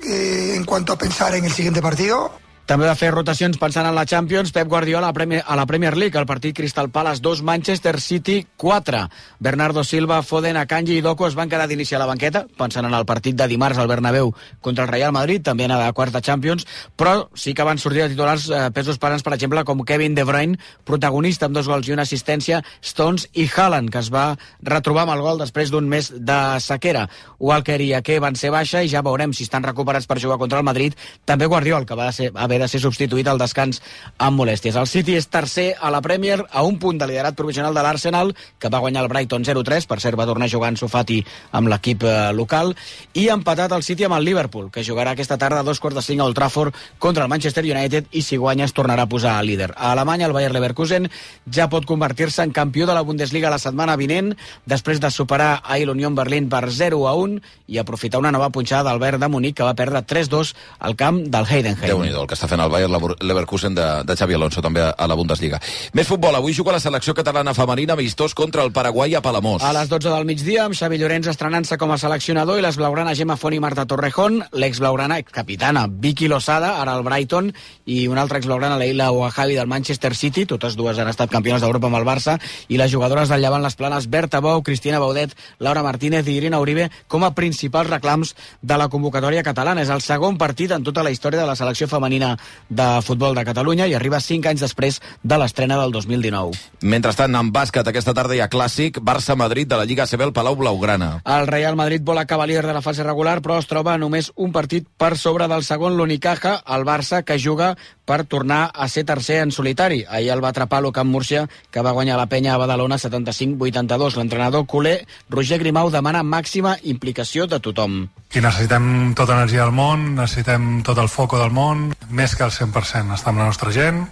en cuanto a pensar en el siguiente partido. També va fer rotacions pensant en la Champions. Pep Guardiola a la Premier League, el partit Crystal Palace 2, Manchester City 4. Bernardo Silva, Foden, Akanji i Doku es van quedar d'inici a la banqueta, pensant en el partit de dimarts al Bernabéu contra el Real Madrid, també en la quarta Champions, però sí que van sortir de titulars pesos pesants, per exemple, com Kevin De Bruyne, protagonista amb 2 gols i una assistència, Stones i Haaland, que es va retrobar amb el gol després d'un mes de sequera. Walker i Ake van ser baixa i ja veurem si estan recuperats per jugar contra el Madrid. També Guardiola, que va haver de ser substituït al descans amb molèsties. El City és tercer a la Premier a un punt de liderat provisional de l'Arsenal, que va guanyar el Brighton 0-3, per cert va tornar a jugar en Sofati amb l'equip local, i ha empatat el City amb el Liverpool, que jugarà aquesta tarda a 2:45 a Old Trafford contra el Manchester United, i si guanya es tornarà a posar al líder. A Alemanya el Bayer Leverkusen ja pot convertir-se en campió de la Bundesliga la setmana vinent, després de superar ahir l'Unión Berlín per 0-1 i aprofitar una nova punxada del Bayern de Munic, que va perdre 3-2 al camp del Heidenheim. Déu-n'hi-do el que està fent el Bayer Leverkusen de Xavi Alonso, també a la Bundesliga. Més futbol, avui juga la selecció catalana femenina amistós contra el Paraguai a Palamós. A les 12 del migdia, amb Xavi Llorens estrenant-se com a seleccionador i les blaugrana Gemma Font i Marta Torrejón, l'ex-blaugrana capitana Vicky Losada, ara al Brighton, i una altra exblaugrana, Leila Ouahabi del Manchester City, totes dues han estat campiones d'Europa amb el Barça, i les jugadores del Llevant les Planes, Berta Bou, Cristina Baudet, Laura Martínez i Irina Uribe com a principals reclams de la convocatòria catalana. És el segon partit en tota la història de la selecció femenina de futbol de Catalunya i arriba 5 anys després de l'estrena del 2019. Mentrestant, en bàsquet, aquesta tarda hi ha clàssic Barça-Madrid de la Lliga ACB al Palau Blaugrana. El Real Madrid vol acabar líder de la fase regular, però es troba només un partit per sobre del segon, l'Unicaja, el Barça, que juga per tornar a ser tercer en solitari. Ahir el va atrapar l'Ucamp Múrcia, que va guanyar la Penya a Badalona 75-82. L'entrenador culer, Roger Grimau, demana màxima implicació de tothom. I necessitem tota l'energia del món, necessitem tot el foco del món, més que el 100%. Està amb la nostra gent,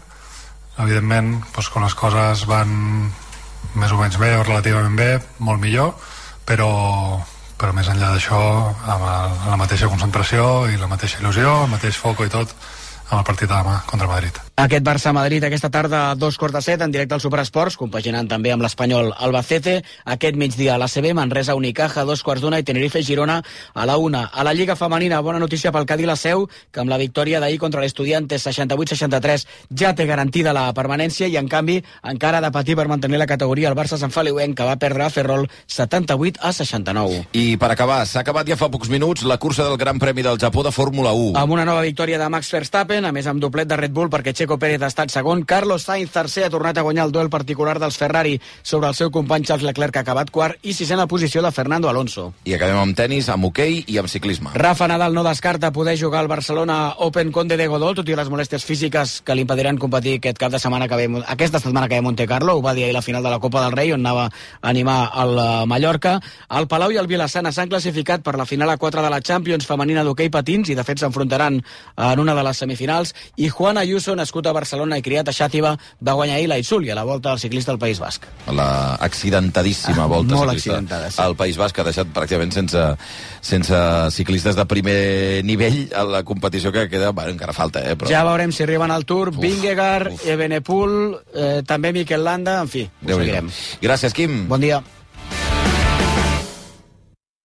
evidentment, doncs, quan les coses van més o menys bé o relativament bé, molt millor, però més enllà d'això, amb la mateixa concentració i la mateixa il·lusió, el mateix foco i tot, amb el partit de demà contra Madrid. Aquest Barça-Madrid aquesta tarda a 2:45 en directe al Superesports, compaginant també amb l'Espanyol Albacete. Aquest migdia a l'ACB, Manresa Unicaja, 2:15 i Tenerife-Girona a la 1. A la Lliga Femenina, bona notícia pel Cadí la Seu, que amb la victòria d'ahir contra l'Estudiantes 68-63 ja té garantida la permanència i en canvi encara ha de patir per mantenir la categoria el Barça Sant Feliuenc, que va perdre a Ferrol 78-69. I per acabar, s'ha acabat ja fa pocs minuts la cursa del Gran Premi del Japó de Fórmula 1. Amb una nova victòria de Max Verstappen, a més amb doblet de Red Bull perquè Checo Pérez ha estat segon. Carlos Sainz tercer, ha tornat a guanyar el duel particular dels Ferrari sobre el seu company Charles Leclerc, que ha acabat quart, i sisena posició de Fernando Alonso. I acabem amb tenis, amb hoquei i amb ciclisme. Rafa Nadal no descarta poder jugar al Barcelona Open Conde de Godó, tot i les molèsties físiques que li impediran competir aquesta setmana que ve a Monte Carlo. Ho va dir ahir la final de la Copa del Rei, on anava a animar el Mallorca. El Palau i el Vilassana s'han classificat per la final a 4 de la Champions femenina d'hoquei patins i de fet s'enfrontaran en una de les semifinals. I Juan Ayuso, nascut a Barcelona i criat a Xàtiva, va guanyar ahir l'Aisul i a la Volta del Ciclista al País Basc. La accidentadíssima Volta molt ciclista accidentada, sí. al País Basc, que ha deixat pràcticament sense ciclistes de primer nivell a la competició que queda, bueno, encara falta, però... Ja veurem si arriben al Tour, Vingegaard, Evenepoel, també Mikel Landa, en fi, ho seguirem. Gràcies, Quim. Bon dia.